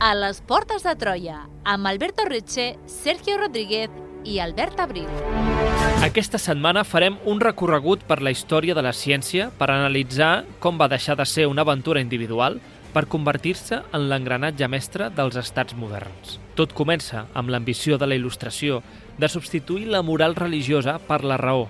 a les Portes de Troia, amb Alberto Riche, Sergio Rodríguez i Albert Abril. Aquesta setmana farem un recorregut per la història de la ciència per analitzar com va deixar de ser una aventura individual per convertir-se en l'engranatge mestre dels estats moderns. Tot comença amb l'ambició de la il·lustració de substituir la moral religiosa per la raó,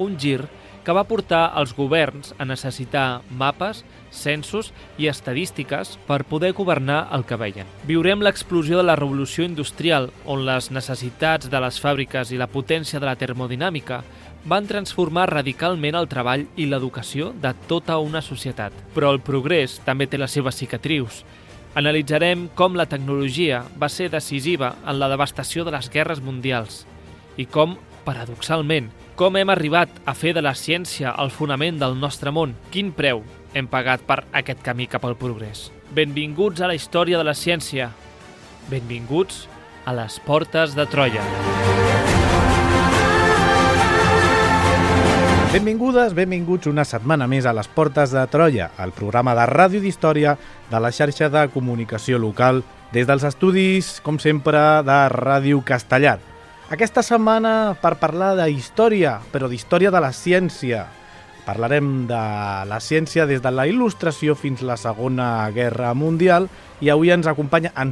un gir que va portar els governs a necessitar mapes, censos i estadístiques per poder governar el que veien. Viurem l'explosió de la revolució industrial, on les necessitats de les fàbriques i la potència de la termodinàmica van transformar radicalment el treball i l'educació de tota una societat. Però el progrés també té les seves cicatrius. Analitzarem com la tecnologia va ser decisiva en la devastació de les guerres mundials i com, paradoxalment, com hem arribat a fer de la ciència el fonament del nostre món? Quin preu hem pagat per aquest camí cap al progrés? Benvinguts a la història de la ciència. Benvinguts a les Portes de Troia. Benvingudes, benvinguts una setmana més a les Portes de Troia, el programa de ràdio d'història de la xarxa de comunicació local des dels estudis, com sempre, de Ràdio Castellar. Aquesta setmana per parlar de història, però d'història de la ciència. Parlarem de la ciència des de la il·lustració fins a la Segona Guerra Mundial i avui ens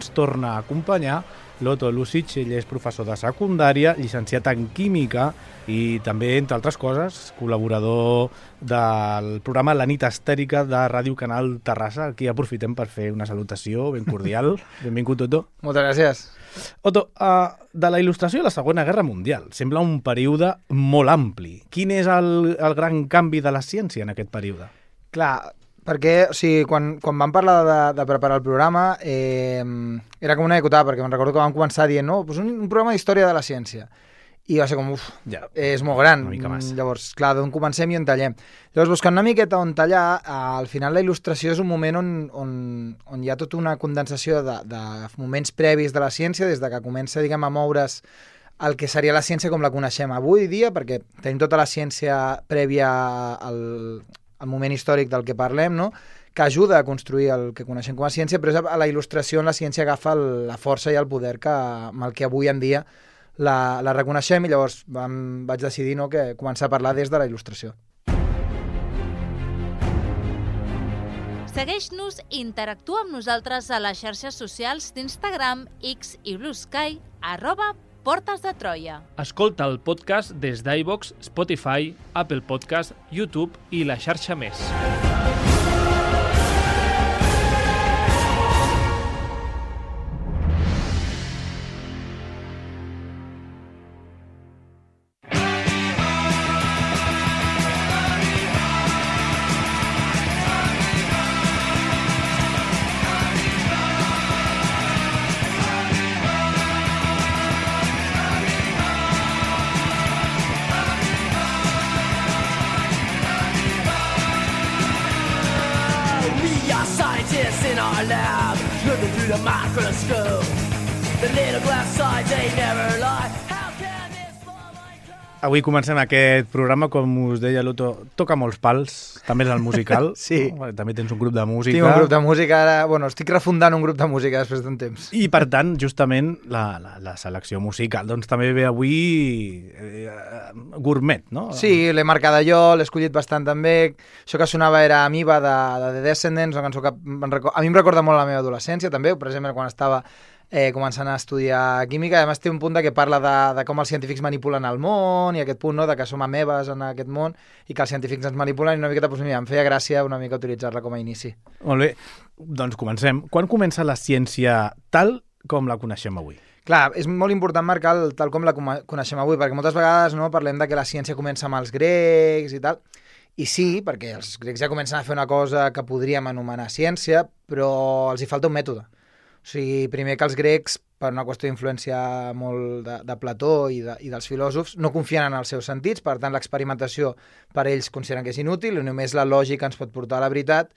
torna a acompanyar l'Otto Lucic. Ell és professor de secundària, llicenciat en química i també, entre altres coses, col·laborador del programa La nit estèrica de Ràdio Canal Terrassa. Aquí aprofitem per fer una salutació ben cordial. Benvingut, Otto. Moltes gràcies. Otto, de la il·lustració a la Segona Guerra Mundial sembla un període molt ampli. Quin és el gran canvi de la ciència en aquest període? Clar, perquè quan vam parlar de preparar el programa era com una dicotada, perquè me'n recordo que vam començar dient un programa d'història de la ciència. I va ser com, és molt gran. Una mica massa. Llavors, clar, d'on comencem i on tallem. Llavors, buscant una miqueta on tallar, al final la il·lustració és un moment on hi ha tota una condensació de moments previs de la ciència, des de que comença, a moure's el que seria la ciència com la coneixem avui dia, perquè tenim tota la ciència prèvia al moment històric del que parlem, no?, que ajuda a construir el que coneixem com a ciència, però és a la il·lustració on la ciència agafa la força i el poder amb el que avui en dia la reconeixem, i llavors vaig decidir que començar a parlar des de la il·lustració. Segueix-nos i interactua amb nosaltres a les xarxes socials d'Instagram, X i Blue Sky, @Portes de Troia. Escolta el podcast des d'iVoox, Spotify, Apple Podcast, YouTube i la xarxa més. In our lab, looking through the microscope, the little glass sides, they never lie. How can this fall like that? Avui comencem aquest programa, com us deia l'Otto, toca molts pals, també és el musical. Sí. No? També tens un grup de música. Tinc un grup de música, ara, estic refundant un grup de música després d'un temps. I, per tant, justament, la selecció musical, doncs també ve avui gourmet, no? Sí, l'he marcada jo, l'he escollit bastant també. Això que sonava era Amoeba de The Descendents, una cançó que a mi em recorda molt la meva adolescència, també, per exemple, quan estava començant a estudiar química. A més, té un punt que parla de com els científics manipulen el món i aquest punt, no?, de que som amebes en aquest món i que els científics ens manipulen, i una miqueta, em feia gràcia una mica utilitzar-la com a inici. Molt bé, doncs comencem. Quan comença la ciència tal com la coneixem avui? Clar, és molt important marcar tal com la coneixem avui, perquè moltes vegades parlem de que la ciència comença amb els grecs i tal, i sí, perquè els grecs ja comencen a fer una cosa que podríem anomenar ciència, però els hi falta un mètode. O sigui, primer que els grecs, per una qüestió d'influència molt de Plató i dels filòsofs, no confien en els seus sentits, per tant l'experimentació per ells consideren que és inútil i només la lògica ens pot portar a la veritat.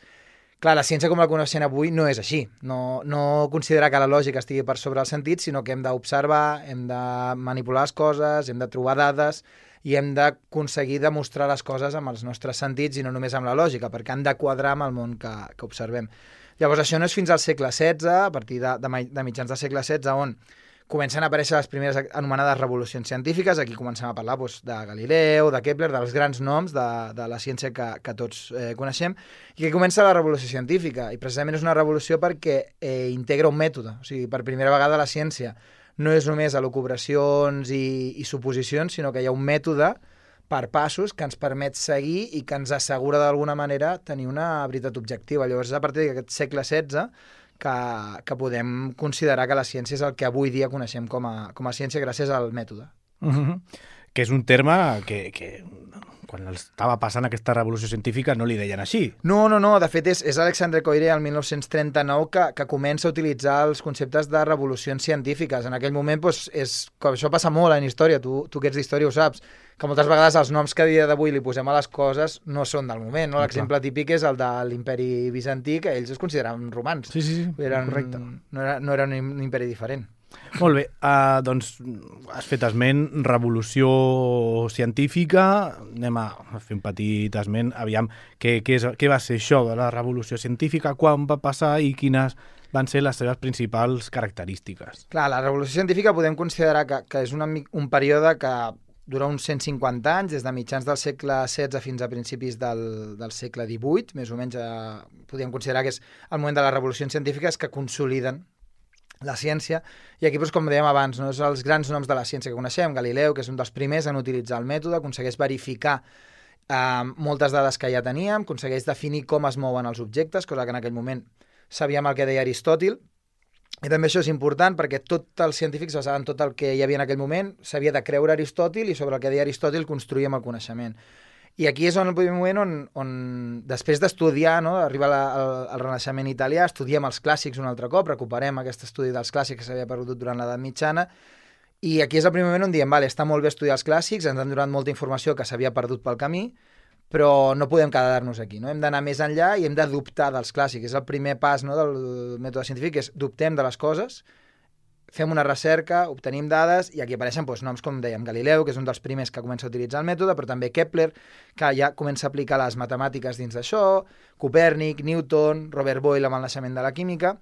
Clar, la ciència com la coneixem avui no és així. No considera que la lògica estigui per sobre els sentits, sinó que hem d'observar, hem de manipular les coses, hem de trobar dades i hem d'aconseguir demostrar les coses amb els nostres sentits i no només amb la lògica, perquè han de quadrar amb el món que observem. Llavors, això no és fins al segle XVI, a partir de mitjans del segle XVI, on comencen a aparèixer les primeres anomenades revolucions científiques. Aquí comencem a parlar de Galileu, de Kepler, dels grans noms de la ciència que tots coneixem, i aquí comença la revolució científica, i precisament és una revolució perquè integra un mètode. O sigui, per primera vegada la ciència no és només elucubracions i suposicions, sinó que hi ha un mètode per passos que ens permet seguir i que ens assegura d'alguna manera tenir una veritat objectiva. Llavors, és a partir d'aquest segle XVI que podem considerar que la ciència és el que avui dia coneixem com a ciència gràcies al mètode. Que és un terme que quan estava passant aquesta revolució científica no li deien així. No. De fet, és Alexandre Koyré, el 1939, que comença a utilitzar els conceptes de revolucions científiques. En aquell moment, això passa molt en història, tu que ets d'història ho saps, que moltes vegades els noms que a dia d'avui li posem a les coses no són del moment. No? L'exemple típic és el de l'imperi bizantí, que ells es consideraven romans. Sí, correcte. No era un imperi diferent. Molt bé, doncs has fet esment, revolució científica, anem a fer un petit esment, aviam, què va ser això de la revolució científica, quan va passar i quines van ser les seves principals característiques? Clar, la revolució científica podem considerar que és un període que dura uns 150 anys, des de mitjans del segle XVI fins a principis del segle XVIII, més o menys podríem considerar que és el moment de les revolucions científiques que consoliden la ciència, i aquí, com dèiem abans, no, és els grans noms de la ciència que coneixem. Galileu, que és un dels primers en utilitzar el mètode, aconsegueix verificar moltes dades que ja teníem, aconsegueix definir com es mouen els objectes, cosa que en aquell moment sabíem el que deia Aristòtil, i també això és important perquè tots els científics basaven tot el que hi havia en aquell moment, s'havia de creure Aristòtil, i sobre el que deia Aristòtil construïem el coneixement. I aquí és el primer moment on després d'estudiar, no, arriba el Renaixement italià, estudiem els clàssics un altre cop, recuperem aquest estudi dels clàssics que s'havia perdut durant l'edat mitjana, i aquí és el primer moment on diem, vale, està molt bé estudiar els clàssics, ens han donat molta informació que s'havia perdut pel camí, però no podem quedar-nos aquí, no? Hem d'anar més enllà i hem de dubtar dels clàssics. És el primer pas, no, del mètode científic, és dubtem de les coses, fem una recerca, obtenim dades, i aquí apareixen noms com dèiem Galileu, que és un dels primers que comença a utilitzar el mètode, però també Kepler, que ja comença a aplicar les matemàtiques dins d'això, Copèrnic, Newton, Robert Boyle amb el naixement de la química,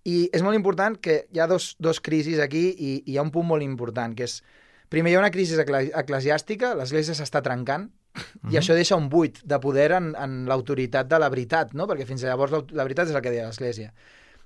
i és molt important que hi ha dos crisis aquí, i hi ha un punt molt important, que és, primer hi ha una crisi eclesiàstica, l'Església s'està trencant, i això deixa un buit de poder en l'autoritat de la veritat, no? Perquè fins llavors la veritat és el que deia l'Església.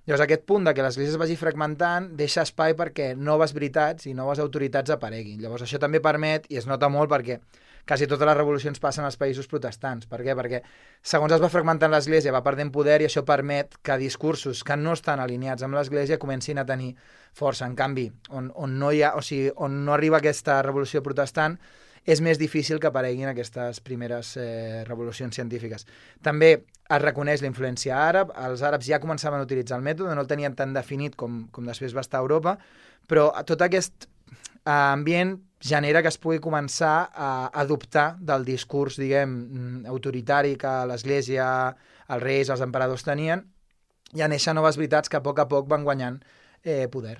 Llavors, aquest punt de que l'Església es vagi fragmentant deixa espai perquè noves veritats i noves autoritats apareguin. Llavors, això també permet, i es nota molt perquè quasi totes les revolucions passen als països protestants. Per què? Perquè segons es va fragmentant l'Església, va perdent poder, i això permet que discursos que no estan alineats amb l'Església comencin a tenir força. En canvi, on no arriba aquesta revolució protestant, és més difícil que apareguin aquestes primeres revolucions científiques. També es reconeix la influència àrab, els àrabs ja començaven a utilitzar el mètode, no el tenien tan definit com després va estar a Europa, però tot aquest ambient genera que es pugui començar a adoptar del discurs, diguem, autoritari que l'Església, els reis, els emperadors tenien, i a néixer noves veritats que a poc van guanyant poder.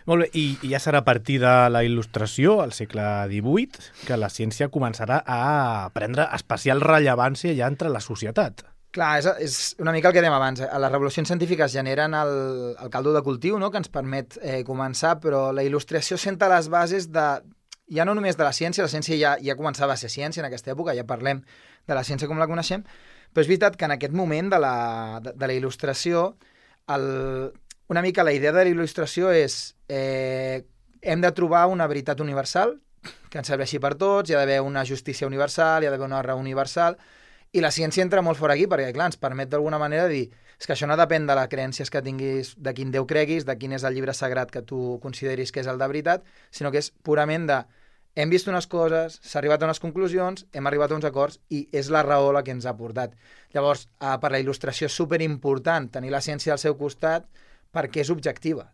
Molt bé, i ja serà a partir de la Il·lustració, al segle XVIII, que la ciència començarà a prendre especial rellevància ja entre la societat. Clar, és una mica el que dèiem abans. Les revolucions científiques generen el caldo de cultiu, no?, que ens permet començar, però la Il·lustració senta les bases ja no només de la ciència ja començava a ser ciència en aquesta època, ja parlem de la ciència com la coneixem, però és veritat que en aquest moment de la Il·lustració una mica la idea de la il·lustració és hem de trobar una veritat universal que ens serveixi per tots, hi ha d'haver una justícia universal, hi ha d'haver una raó universal, i la ciència entra molt fort aquí perquè, clar, ens permet d'alguna manera dir és que això no depèn de les creences que tinguis, de quin Déu creguis, de quin és el llibre sagrat que tu consideris que és el de veritat, sinó que és purament hem vist unes coses, s'ha arribat a unes conclusions, hem arribat a uns acords i és la raó la que ens ha portat. Llavors, per la il·lustració és superimportant tenir la ciència al seu costat perquè és objectiva.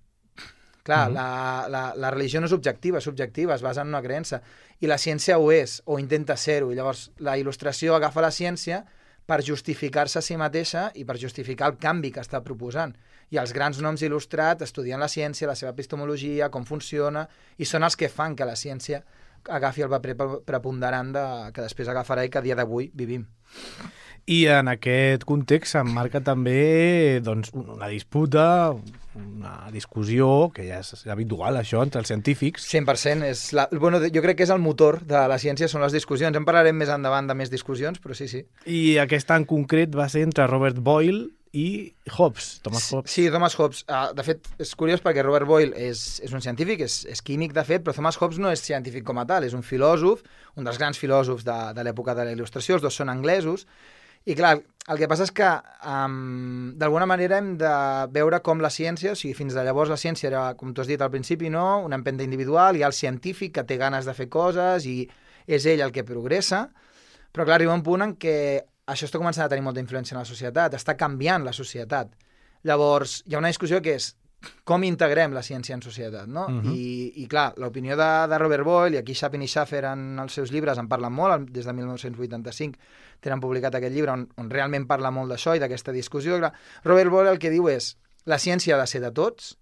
Clar, la religió no és objectiva, és subjectiva, es basa en una creença. I la ciència ho és, o intenta ser-ho. I llavors la il·lustració agafa la ciència per justificar-se a si mateixa i per justificar el canvi que està proposant. I els grans noms il·lustrats estudien la ciència, la seva epistemologia, com funciona, i són els que fan que la ciència agafi el paper preponderant que després agafarà i que a dia d'avui vivim. I en aquest context s'emmarca també doncs, una disputa, una discussió, que ja és habitual això entre els científics. 100%. Bueno, jo crec que és el motor de la ciència, són les discussions. En parlarem més endavant de més discussions, però sí. I aquesta en concret va ser entre Robert Boyle i Hobbes, Thomas Hobbes. Sí, Thomas Hobbes. De fet, és curiós perquè Robert Boyle és un científic, és químic, de fet, però Thomas Hobbes no és científic com a tal, és un filòsof, un dels grans filòsofs de l'època de la Il·lustració, els dos són anglesos, i clar, el que passa és que d'alguna manera hem de veure com la ciència, o sigui, fins de llavors la ciència era, com tu has dit al principi, no? Una empenta individual, hi ha el científic que té ganes de fer coses i és ell el que progressa, però clar, arriba un punt en què això està començant a tenir molta influència en la societat, està canviant la societat. Llavors, hi ha una discussió que és com integrem la ciència en societat, no? I clar, l'opinió de Robert Boyle, i aquí Chapin i Schaffer en els seus llibres en parlen molt, des de 1985 tenen publicat aquest llibre on realment parla molt d'això i d'aquesta discussió. Clar, Robert Boyle el que diu és la ciència ha de ser de tots,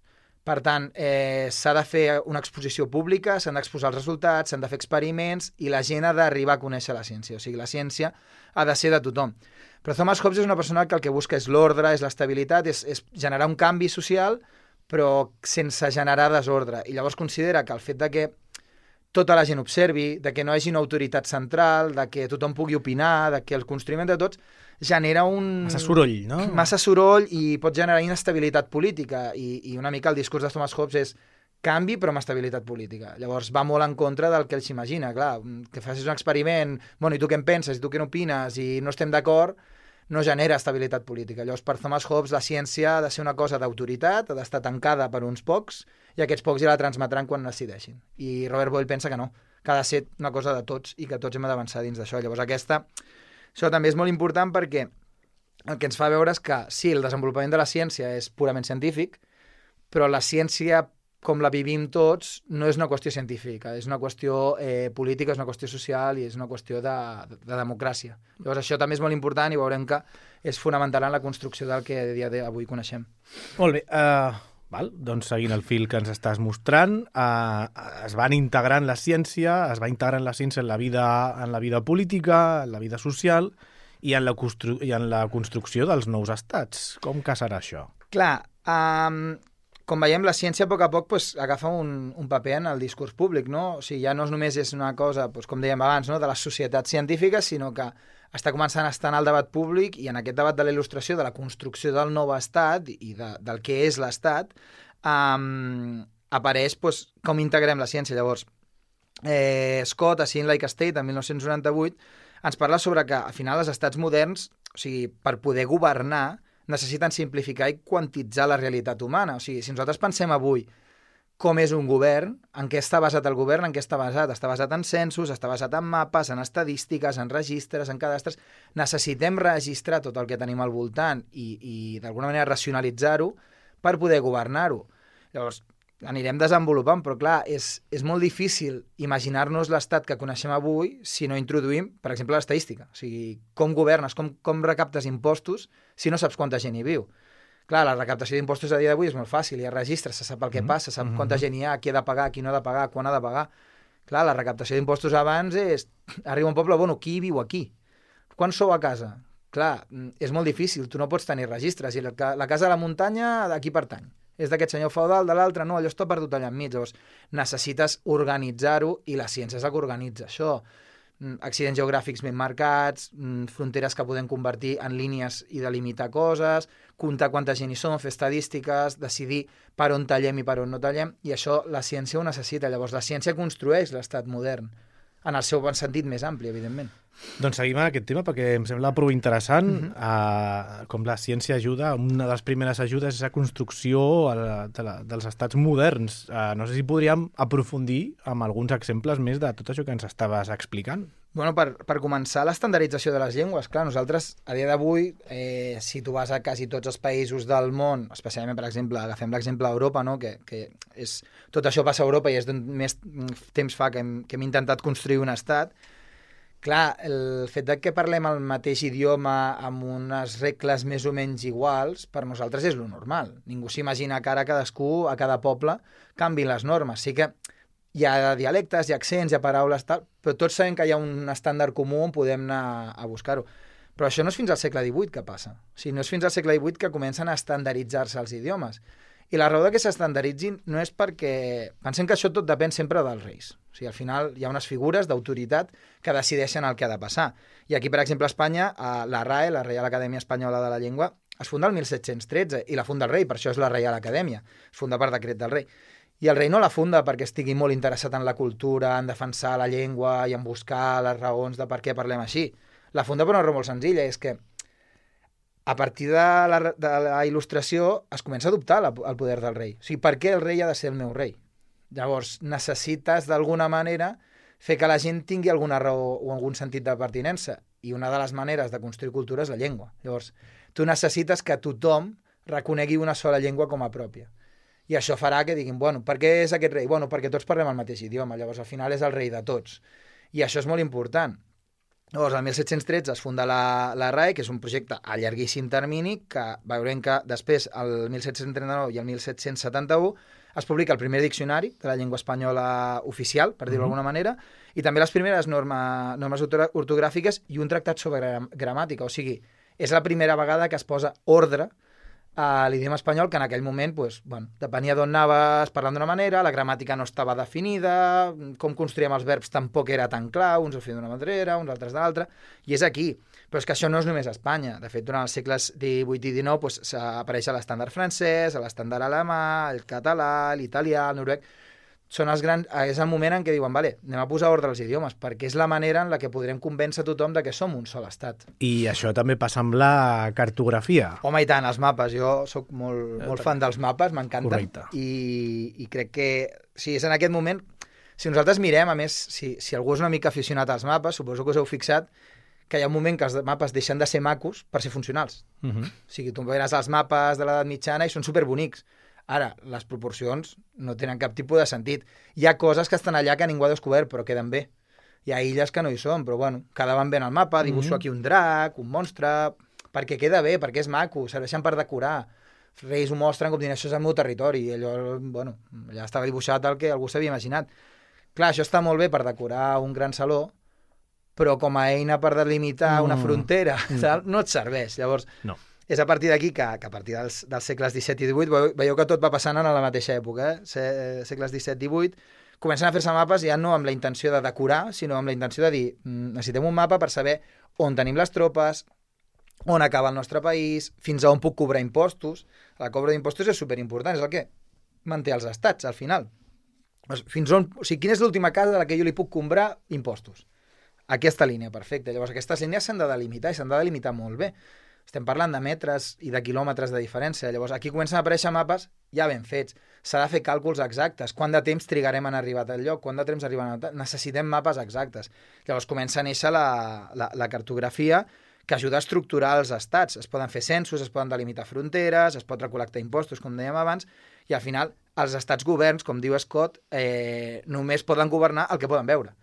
per tant, s'ha de fer una exposició pública, s'han d'exposar els resultats, s'han de fer experiments i la gent ha d'arribar a conèixer la ciència. O sigui, la ciència ha de ser de tothom. Però Thomas Hobbes és una persona que el que busca és l'ordre, és l'estabilitat, és generar un canvi social, però sense generar desordre. I llavors considera que el fet de que tota la gent observi, de que no hi hagi una autoritat central, de que tothom pugui opinar, de que el construïment de tots genera un... Massa soroll, no? Massa soroll i pot generar inestabilitat política. I una mica el discurs de Thomas Hobbes és canvi però amb estabilitat política. Llavors va molt en contra del que ell s'imagina. Clar, que facis un experiment, bueno, i tu què en penses, i tu què n'opines, i no estem d'acord, no genera estabilitat política. Llavors, per Thomas Hobbes, la ciència ha de ser una cosa d'autoritat, ha d'estar tancada per uns pocs, i aquests pocs ja la transmetran quan decideixin. I Robert Boyle pensa que no, que ha de ser una cosa de tots i que tots hem d'avançar dins d'això. Llavors, això també és molt important perquè el que ens fa veure és que, sí, el desenvolupament de la ciència és purament científic, però la ciència, com la vivim tots, no és una qüestió científica, és una qüestió política, és una qüestió social i és una qüestió de democràcia. Llavors això també és molt important i veurem que és fonamental en la construcció del que a dia d'avui coneixem. Molt bé, doncs seguint el fil que ens estàs mostrant, es van integrant la ciència, es va integrant la ciència en la vida política, en la vida social i en la construcció dels nous estats. Com que serà això? Clar, com veiem, la ciència a poc pues, agafa un paper en el discurs públic, no? O sigui, ja no només és una cosa, pues, com dèiem abans, no? De les societats científiques, sinó que està començant a estar en el debat públic i en aquest debat de la il·lustració, de la construcció del nou estat i del que és l'estat, apareix pues, com integrem la ciència. Llavors, Scott, a Seeing Like a State, en 1998, ens parla sobre que, al final, els estats moderns, o sigui, per poder governar, necessiten simplificar i quantitzar la realitat humana. O sigui, si nosaltres pensem avui com és un govern, en què està basat el govern, en què està basat? Està basat en censos, està basat en mapes, en estadístiques, en registres, en cadastres. Necessitem registrar tot el que tenim al voltant i d'alguna manera racionalitzar-ho per poder governar-ho. Llavors, anirem desenvolupant, però clar, és molt difícil imaginar-nos l'estat que coneixem avui si no introduïm, per exemple, l'estadística. O sigui, com governes, com recaptes impostos si no saps quanta gent hi viu. Clar, la recaptació d'impostos a dia d'avui és molt fàcil, hi ha registres, se sap el que passa, se sap quanta gent hi ha, qui ha de pagar, qui no ha de pagar, quan ha de pagar. Clar, la recaptació d'impostos abans és... Arriba un poble, bueno, qui viu aquí? Quan sou a casa? Clar, és molt difícil, tu no pots tenir registres, i la casa de la muntanya d'aquí pertany. És d'aquest senyor feudal, de l'altre, no, allò està perdut allà enmig. Llavors, necessites organitzar-ho i la ciència és la que organitza això. Accidents geogràfics ben marcats, fronteres que podem convertir en línies i delimitar coses, comptar quanta gent hi som, fer estadístiques, decidir per on tallem i per on no tallem, i això la ciència ho necessita. Llavors, la ciència construeix l'estat modern, en el seu bon sentit més ampli, evidentment. Doncs seguim en aquest tema perquè em sembla prou interessant com la ciència ajuda. Una de les primeres ajudes és la construcció dels estats moderns. No sé si podríem aprofundir amb alguns exemples més de tot això que ens estaves explicant. Bueno, per començar, l'estandardització de les llengües. Clar, nosaltres, a dia d'avui, si tu vas a quasi tots els països del món, especialment, per exemple, agafem l'exemple d'Europa, no? que és, tot això passa a Europa i és d'on més temps fa que hem intentat construir un estat. Clar, el fet que parlem el mateix idioma amb unes regles més o menys iguals, per nosaltres és lo normal. Ningú s'imagina que ara cadascú, a cada poble, canviïn les normes. Sí que hi ha dialectes, hi ha accents, hi ha paraules, tal, però tots sabem que hi ha un estàndard comú on podem anar a buscar-ho. Però això no és fins al segle XVIII que passa. O sigui, no és fins al segle XVIII que comencen a estandarditzar-se els idiomes. I la raó de que s'estandarditzin no és perquè... Pensem que això tot depèn sempre dels reis. O sigui, al final hi ha unes figures d'autoritat que decideixen el que ha de passar. I aquí, per exemple, a Espanya, la RAE, la Reial Acadèmia Espanyola de la Llengua, es funda el 1713 i la funda el rei, per això és la Reial Acadèmia. Es funda per decret del rei. I el rei no la funda perquè estigui molt interessat en la cultura, en defensar la llengua i en buscar les raons de per què parlem així. La funda per una raó molt senzilla, és que a partir de la il·lustració es comença a adoptar el poder del rei. O sigui, per què el rei ha de ser el meu rei? Llavors, necessites d'alguna manera fer que la gent tingui alguna raó o algun sentit de pertinença. I una de les maneres de construir cultura és la llengua. Llavors, tu necessites que tothom reconegui una sola llengua com a pròpia. I això farà que diguin, bueno, per què és aquest rei? Bueno, perquè tots parlem el mateix idioma. Llavors, al final és el rei de tots. I això és molt important. Llavors, el 1713 es funda la RAE, que és un projecte a llarguíssim termini, que veurem que després, el 1739 i el 1771, es publica el primer diccionari de la llengua espanyola oficial, per dir-ho d'alguna manera, i també les primeres normes ortogràfiques i un tractat sobre gramàtica. O sigui, és la primera vegada que es posa ordre a l'idioma espanyol, que en aquell moment depenia d'on anaves parlant d'una manera, la gramàtica no estava definida, com construíem els verbs tampoc era tan clar, uns ho feien d'una manera, uns altres d'altra, i és aquí. Però és que això no és només a Espanya. De fet, durant els segles XVIII i XIX apareix l'estàndard francès, l'estàndard alemà, el català, l'italià, el noruec... és el moment en què diuen, vale, anem a posar ordre als idiomes, perquè és la manera en la que podrem convèncer tothom de que som un sol estat. I això també passa amb la cartografia. Home, i tant, els mapes. Jo sóc molt fan dels mapes, m'encanten. Correcte. I crec que, si és en aquest moment, si nosaltres mirem, a més, si algú és una mica aficionat als mapes, suposo que us heu fixat que hi ha un moment que els mapes deixen de ser macos per ser funcionals. O sigui, tu veuràs els mapes de l'edat mitjana i són superbonics. Ara, les proporcions no tenen cap tipus de sentit. Hi ha coses que estan allà que ningú ha descobert, però queden bé. Hi ha illes que no hi són, però bueno, quedaven bé en el mapa, dibuixo aquí un drac, un monstre, perquè queda bé, perquè és maco, serveixen per decorar. Els reis ho mostren com dient, això és el meu territori, i allò, bueno, ja estava dibuixat el que algú s'havia imaginat. Clar, això està molt bé per decorar un gran saló, però com a eina per delimitar una frontera, no et serveix. Llavors, no. És a partir d'aquí que a partir dels segles XVII i XVIII, veieu que tot va passant en la mateixa època, segles XVII i XVIII, comencen a fer-se mapes ja no amb la intenció de decorar, sinó amb la intenció de dir, necessitem un mapa per saber on tenim les tropes, on acaba el nostre país, fins a on puc cobrar impostos. La cobra d'impostos és superimportant, és el que manté els estats, al final. Fins on, o sigui, quina és l'última casa a la que jo li puc cobrar impostos? Aquesta línia, perfecte. Llavors, aquestes línies s'han de delimitar i s'han de delimitar molt bé. Estem parlant de metres i de quilòmetres de diferència. Llavors, aquí comencen a aparèixer mapes ja ben fets. S'ha de fer càlculs exactes. Quant de temps trigarem en arribar a tal lloc? Quant de temps arribarem a tal... Necessitem mapes exactes. Llavors, comença a néixer la cartografia que ajuda a estructurar els estats. Es poden fer censos, es poden delimitar fronteres, es pot recol·lectar impostos, com dèiem abans, i al final els estats governs, com diu Scott, només poden governar el que poden veure.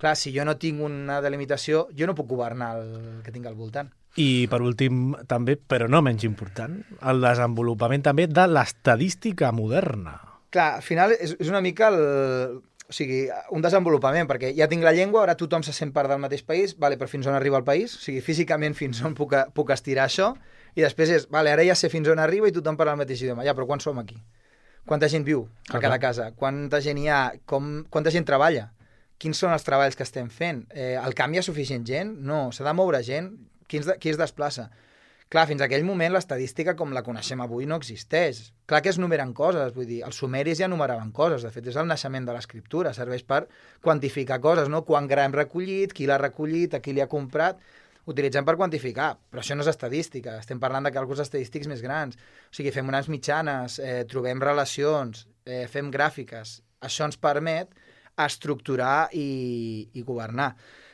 Clar, si jo no tinc una delimitació, jo no puc governar el que tinc al voltant. I, per últim, també, però no menys important, el desenvolupament també de l'estadística moderna. Clar, al final és una mica un desenvolupament, perquè ja tinc la llengua, ara tothom se sent part del mateix país, vale, però fins on arriba el país? O sigui, físicament fins on puc estirar això? I després és, vale, ara ja sé fins on arriba i tothom parla el mateix idioma. Ja, però quan som aquí? Quanta gent viu a cada casa? Quanta gent hi ha? Quanta gent treballa? Quins són els treballs que estem fent? El canvi hi ha suficient gent? No, s'ha de moure gent? Qui es desplaça? Clar, fins a aquell moment l'estadística com la coneixem avui no existeix. Clar que es numeren coses, vull dir, els sumeris ja numeraven coses, de fet és el naixement de l'escriptura, serveix per quantificar coses, no? Quant gra hem recollit, qui l'ha recollit, a qui li ha comprat, utilitzem per quantificar, però això no és estadística, estem parlant de càlculs estadístics més grans, o sigui, fem unes mitjanes, trobem relacions, fem gràfiques, això ens permet estructurar i governar.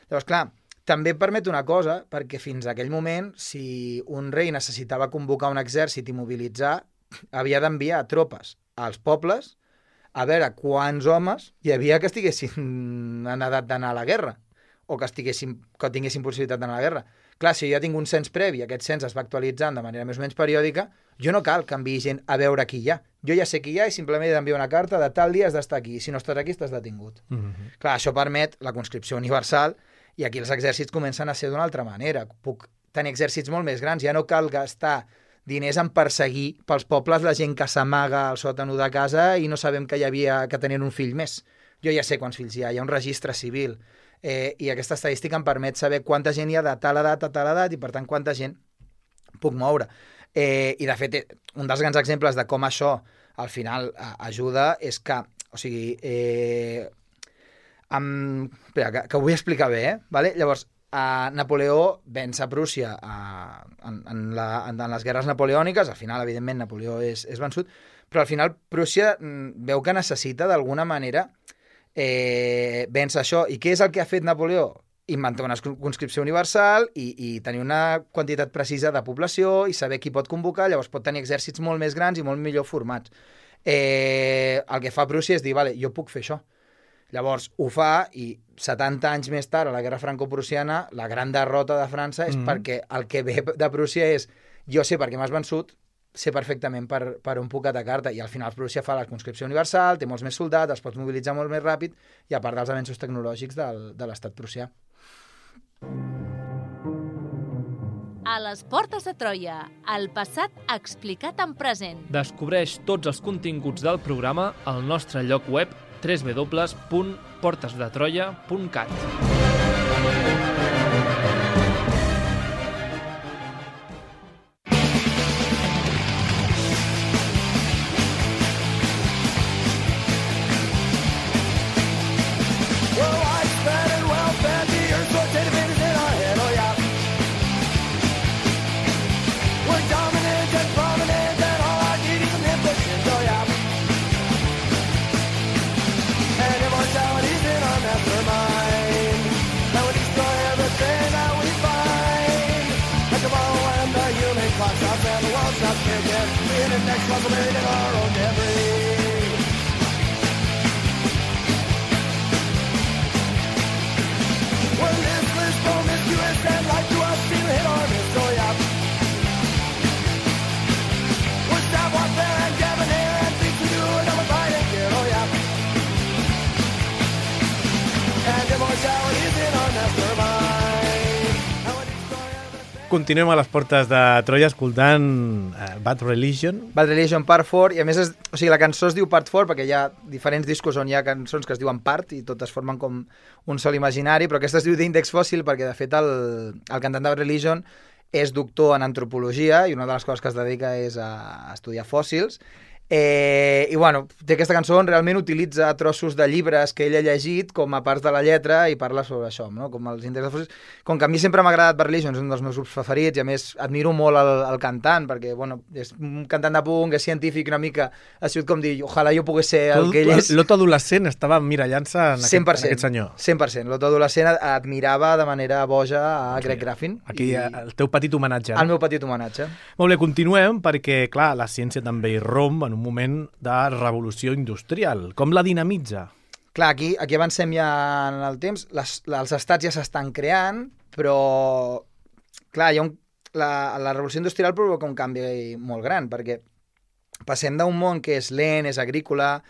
Llavors, clar, també permet una cosa, perquè fins a aquell moment, si un rei necessitava convocar un exèrcit i mobilitzar, havia d'enviar tropes als pobles a veure quants homes hi havia que estiguessin en edat d'anar a la guerra o que tinguessin possibilitat d'anar a la guerra. Clar, si jo ja tinc un cens previ, aquest cens es va actualitzant de manera més o menys periòdica, jo no cal que enviï gent a veure qui hi ha. Jo ja sé qui hi ha i simplement he d'enviar una carta de tal dia has d'estar aquí. Si no estàs aquí, estàs detingut. Clar, això permet la conscripció universal i aquí els exèrcits comencen a ser d'una altra manera. Puc tenir exèrcits molt més grans. Ja no cal gastar diners en perseguir pels pobles la gent que s'amaga al sòtano de casa i no sabem que tenien un fill més. Jo ja sé quants fills hi ha un registre civil. I aquesta estadística em permet saber quanta gent hi ha de tal edat a tal edat i, per tant, quanta gent puc moure. I, de fet, un dels grans exemples de com això al final ajuda és que, o sigui, espera, que ho vull explicar bé, vale? Llavors, Napoleó venç a Prússia en les guerres napoleòniques. Al final, evidentment, Napoleó és vençut, però al final Prússia veu que necessita d'alguna manera vèncer això. I què és el que ha fet Napoleó? Inventar una conscripció universal i tenir una quantitat precisa de població i saber qui pot convocar. Llavors pot tenir exèrcits molt més grans i molt millor formats. El que fa Prússia és dir, vale, jo puc fer això. Llavors ho fa i 70 anys més tard, a la guerra franco-prussiana, la gran derrota de França és perquè el que ve de Prússia és jo sé per què m'has vençut, sé perfectament per on puc atacar-te. I al final Prússia fa la conscripció universal, té molts més soldats, els pots mobilitzar molt més ràpid i a part dels avenços tecnològics de l'estat prussià. A les portes de Troia, el passat explicat en present. Descobreix tots els continguts del programa al nostre lloc web www.portesdetroia.cat. Continuem a les portes de Troia escoltant Bad Religion. Bad Religion, Part 4, i a més la cançó es diu Part 4 perquè hi ha diferents discos on hi ha cançons que es diuen Part i totes formen com un sol imaginari, però aquesta es diu d'Índex Fòssil perquè de fet el cantant de Bad Religion és doctor en antropologia i una de les coses que es dedica és a estudiar fòssils. I bueno, té aquesta cançó on realment utilitza trossos de llibres que ell ha llegit com a parts de la lletra i parla sobre això, no? Com els índexs fòssils. Com que a mi sempre m'ha agradat Bad Religion, és un dels meus grups preferits i a més admiro molt el cantant perquè bueno, és un cantant de punk, és científic una mica, ha sigut com dir ojalà jo pogués ser el que ell és. L'Otto adolescent estava mirallant-se en aquest senyor. 100%. L'Otto adolescent admirava de manera boja a Greg Graffin. Aquí el teu petit homenatge. El meu petit homenatge. Molt bé, continuem perquè clar, la ciència també irromp en un moment de revolució industrial. Com la dinamitza? Clar, aquí avancem ja en el temps. Els estats ja s'estan creant, però clar, la revolució industrial provoca un canvi molt gran, perquè passem d'un món que és lent, és agrícola,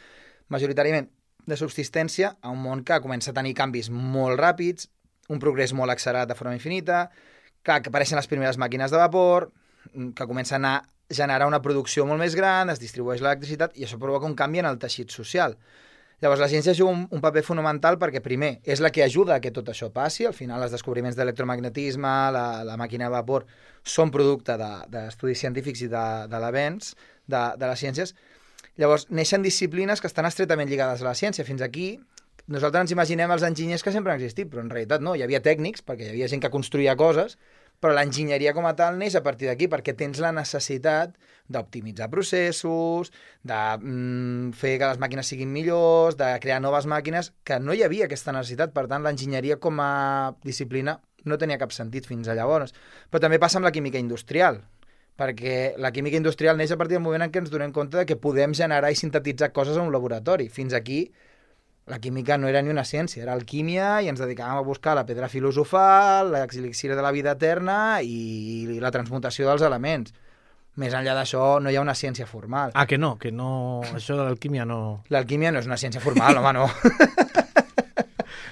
majoritàriament de subsistència, a un món que comença a tenir canvis molt ràpids, un progrés molt accelerat de forma infinita, clar, que apareixen les primeres màquines de vapor, que comencen a generar una producció molt més gran, es distribueix l'electricitat i això provoca un canvi en el teixit social. Llavors, la ciència juga un paper fonamental perquè, primer, és la que ajuda a que tot això passi. Al final, els descobriments d'electromagnetisme, la màquina de vapor, són producte d'estudis científics i de l'avenç de les ciències. Llavors, neixen disciplines que estan estretament lligades a la ciència. Fins aquí, nosaltres ens imaginem els enginyers que sempre han existit, però en realitat no. Hi havia tècnics, perquè hi havia gent que construïa coses, però l'enginyeria com a tal neix a partir d'aquí, perquè tens la necessitat d'optimitzar processos, de fer que les màquines siguin millors, de crear noves màquines, que no hi havia aquesta necessitat. Per tant, l'enginyeria com a disciplina no tenia cap sentit fins a llavors. Però també passa amb la química industrial, perquè la química industrial neix a partir del moment en què ens donem compte de que podem generar i sintetitzar coses en un laboratori. Fins aquí la química no era ni una ciència, era alquímia i ens dedicàvem a buscar la pedra filosofal, l'elixir de la vida eterna i la transmutació dels elements. Més enllà d'això no hi ha una ciència formal. Ah, que no, això de l'alquímia no... L'alquímia no és una ciència formal, home, no.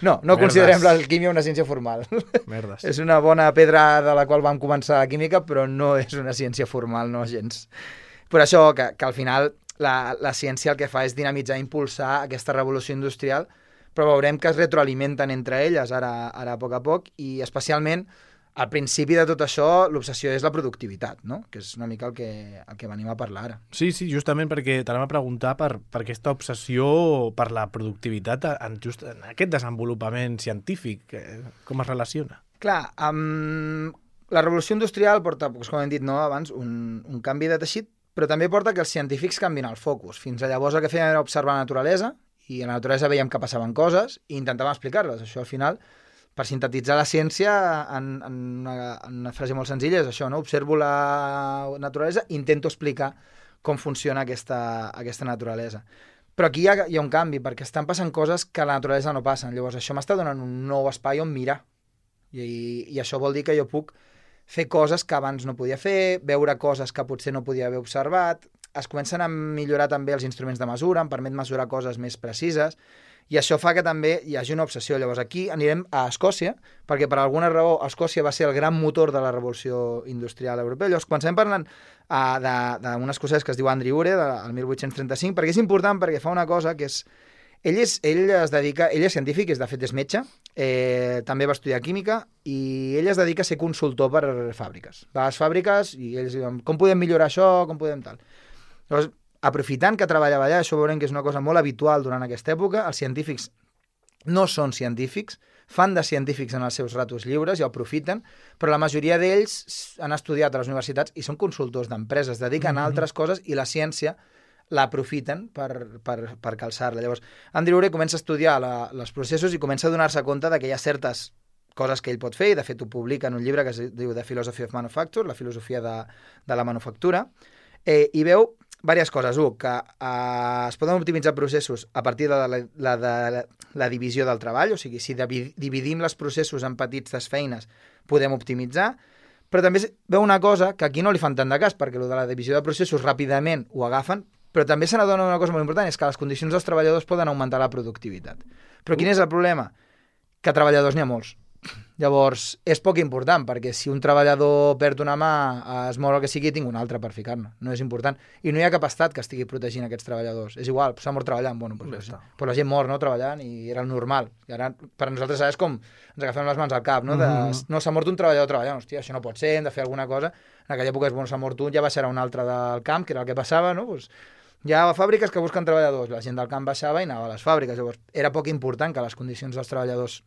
No considerem l'alquímia una ciència formal. Merdes. És una bona pedra de la qual vam començar la química, però no és una ciència formal, no gens. Per això que al final la ciència el que fa és dinamitzar, impulsar aquesta revolució industrial, però veurem que es retroalimenten entre elles ara a poc, i especialment al principi de tot això l'obsessió és la productivitat, no? Que és una mica el que venim a parlar ara. Sí, justament perquè t'anem a preguntar per aquesta obsessió per la productivitat en aquest desenvolupament científic. Com es relaciona? Clar, la revolució industrial porta, com hem dit abans, un canvi de teixit, però també porta que els científics canvien el focus. Fins a llavors el que fèiem era observar la naturalesa, i a la naturalesa veiem que passaven coses i intentàvem explicar-les. Això al final, per sintetitzar la ciència en una frase molt senzilla, és això, no? Observo la naturalesa, intento explicar com funciona aquesta naturalesa. Però aquí hi ha un canvi, perquè estan passant coses que a la naturalesa no passen. Llavors, això m'està donant un nou espai on mirar. I això vol dir que jo puc fer coses que abans no podia fer, veure coses que potser no podia haver observat. Es comencen a millorar també els instruments de mesura, em permet mesurar coses més precises, i això fa que també hi hagi una obsessió. Llavors aquí anirem a Escòcia, perquè per alguna raó Escòcia va ser el gran motor de la revolució industrial europea. Llavors comencem parlant d'un escocès que es diu Andrew Ure, del 1835, perquè és important, perquè fa una cosa que és... Ell és científic, de fet és metge, també va estudiar química, i ell es dedica a ser consultor per fàbriques. Va a les fàbriques i ells diuen com podem millorar això, com podem tal. Llavors, aprofitant que treballava allà, això veurem que és una cosa molt habitual durant aquesta època, els científics no són científics, fan de científics en els seus ratos lliures i ho aprofiten, però la majoria d'ells han estudiat a les universitats i són consultors d'empreses, dediquen a altres coses i la ciència l'aprofiten per calçar-la. Llavors, Andrew Ure comença a estudiar els processos i comença a donar-se compte que hi ha certes coses que ell pot fer, i de fet ho publica en un llibre que es diu The Philosophy of Manufacture, la filosofia de la manufactura, i veu diverses coses. Que es poden optimitzar processos a partir de la divisió del treball, o sigui, si dividim els processos en petites feines, podem optimitzar, però també veu una cosa que aquí no li fan tant de cas, perquè de la divisió de processos ràpidament ho agafen, però també se n'adona una cosa molt important, és que les condicions dels treballadors poden augmentar la productivitat. Però quin és el problema? Que treballadors n'hi ha molts. Llavors, és poc important, perquè si un treballador perd una mà, es mor el que sigui, tinc un altre per ficar-ne. No és important. I no hi ha cap estat que estigui protegint aquests treballadors. És igual, s'ha mort treballant. Bueno, però la gent mor, no?, treballant, i era el normal. I ara, per nosaltres, és com ens agafem les mans al cap, no? No, s'ha mort un treballador treballant. Hòstia, això no pot ser, hem de fer alguna cosa. En aquella època, s'ha mort un, ja baixarà un altre del camp, que era el que passava, no? Hi ha fàbriques que busquen treballadors. La gent del camp baixava i anava a les fàbriques. Llavors, era poc important que les condicions dels treballadors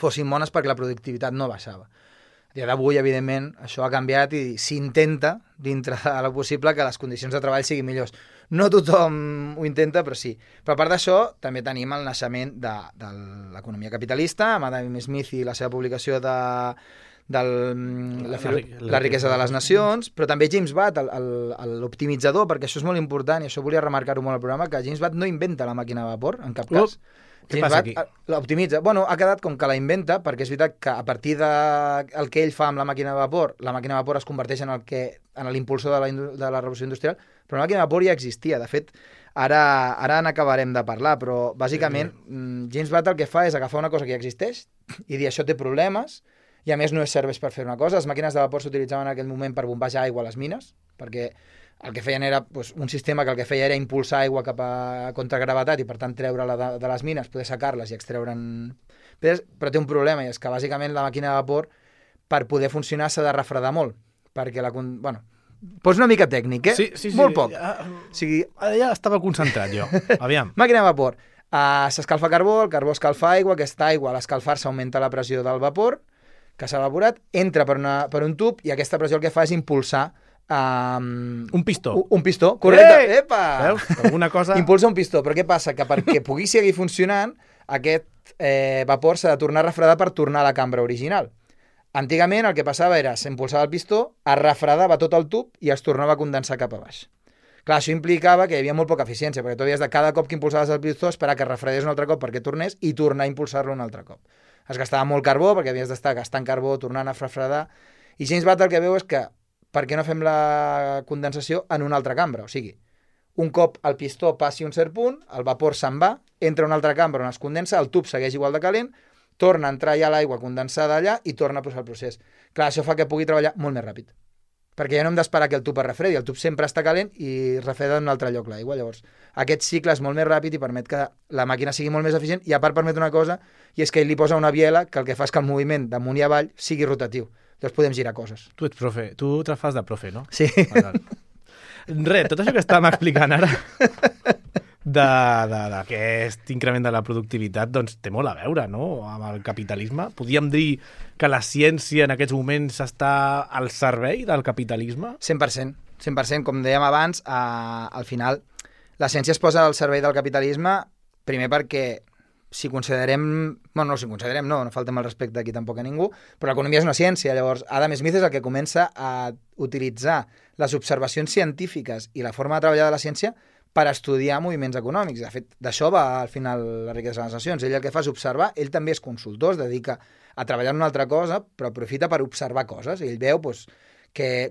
fossin bones perquè la productivitat no baixava. A dia d'avui, evidentment, això ha canviat i s'intenta, dintre de lo possible, que les condicions de treball siguin millors. No tothom ho intenta, però sí. Però a part d'això, també tenim el naixement de l'economia capitalista, amb Adam Smith i la seva publicació de la riquesa de les nacions, però també James Watt, l'optimitzador, perquè això és molt important, i això volia remarcar-ho molt al programa, que James Watt no inventa la màquina de vapor, en cap cas. Què passa aquí? L'optimitza. Bueno, ha quedat com que la inventa, perquè és veritat que a partir del que ell fa amb la màquina de vapor es converteix en l'impulsor de la revolució industrial, però la màquina de vapor ja existia. De fet, ara n'acabarem de parlar, però bàsicament James Watt el que fa és agafar una cosa que ja existeix i dir això té problemes, i a més no serveix per fer una cosa. Les màquines de vapor s'utilitzaven en aquell moment per bombejar aigua a les mines, perquè el que feien era un sistema que el que feia era impulsar aigua cap a contragravetat i per tant treure-la de les mines, poder secar-les i extreure'n... Però té un problema, i és que bàsicament la màquina de vapor, per poder funcionar, s'ha de refredar molt, perquè pots una mica tècnic, eh? Sí. Molt poc. Ja estava concentrat jo. Aviam. Màquina de vapor. S'escalfa carbó, el carbó escalfa aigua, aquesta aigua a l'escalfar-se augmenta la pressió del vapor, que s'ha evaporat, entra per un tub, i aquesta pressió el que fa és impulsar un pistó. Un pistó, correcte. Epa! Veus? Alguna cosa... Impulsa un pistó, però què passa? Que perquè pugui seguir funcionant, aquest vapor s'ha de tornar a refredar per tornar a la cambra original. Antigament el que passava era, s'impulsava el pistó, es refredava tot el tub i es tornava a condensar cap a baix. Clar, això implicava que hi havia molt poca eficiència, perquè tu havies de cada cop que impulsaves el pistó esperar que es refredés un altre cop perquè tornés i tornar a impulsar-lo un altre cop. Es gastava molt carbó, perquè havies d'estar gastant carbó, tornant a refredar, i James Watt el que veu és que per què no fem la condensació en una altra cambra? O sigui, un cop el pistó passi un cert punt, el vapor se'n va, entra a una altra cambra on es condensa, el tub segueix igual de calent, torna a entrar ja l'aigua condensada allà i torna a posar el procés. Clar, això fa que pugui treballar molt més ràpid, perquè ja no hem d'esperar que el tub es refredi, el tub sempre està calent i refreda en un altre lloc l'aigua. Llavors, aquest cicle és molt més ràpid i permet que la màquina sigui molt més eficient i a part permet una cosa, i és que ell li posa una biela que el que fa és que el moviment d'amunt i avall sigui rotatiu. Llavors podem girar coses. Tu ets profe, tu te fas de profe, no? Sí. Res, tot això que estàvem explicant ara d'aquest increment de la productivitat doncs té molt a veure, no?, amb el capitalisme. Podríem dir que la ciència en aquests moments està al servei del capitalisme? 100%. 100%. Com dèiem abans, al final la ciència es posa al servei del capitalisme primer perquè si considerem... Bueno, no, si considerem, no faltem el respecte aquí tampoc a ningú, però l'economia és una ciència. Llavors, Adam Smith és el que comença a utilitzar les observacions científiques i la forma de treballar de la ciència per estudiar moviments econòmics. De fet, d'això va al final la riquesa de les nacions. Ell el que fa és observar, ell també és consultor, es dedica a treballar en una altra cosa, però aprofita per observar coses. Ell veu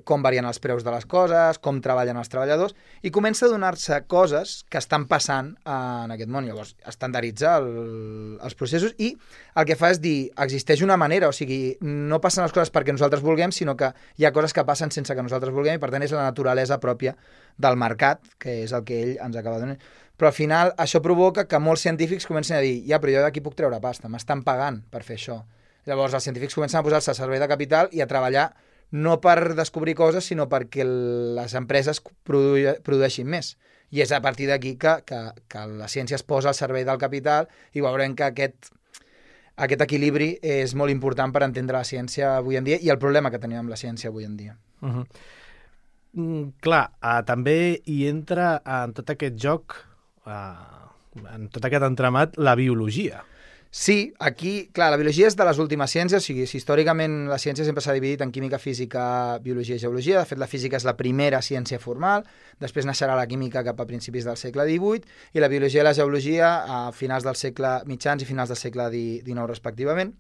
com varien els preus de les coses, com treballen els treballadors, i comença a donar-se coses que estan passant en aquest món. Llavors, estandaritza els processos i el que fa és dir, existeix una manera, o sigui, no passen les coses perquè nosaltres vulguem, sinó que hi ha coses que passen sense que nosaltres vulguem, i per tant és la naturalesa pròpia del mercat, que és el que ell ens acaba donant. Però al final això provoca que molts científics comencen a dir, ja, però jo d'aquí puc treure pasta, m'estan pagant per fer això. Llavors els científics comencen a posar-se al servei de capital i a treballar no per descobrir coses, sinó perquè les empreses produeixin més. I és a partir d'aquí que la ciència es posa al servei del capital i veurem que aquest equilibri és molt important per entendre la ciència avui en dia i el problema que tenim amb la ciència avui en dia. Clar, també hi entra en tot aquest joc, en tot aquest entramat, la biologia. Sí, aquí, clar, la biologia és de les últimes ciències, o sigui, històricament la ciència sempre s'ha dividit en química, física, biologia i geologia. De fet, la física és la primera ciència formal, després naixerà la química cap a principis del segle XVIII i la biologia i la geologia a finals del segle mitjans i finals del segle XIX, respectivament.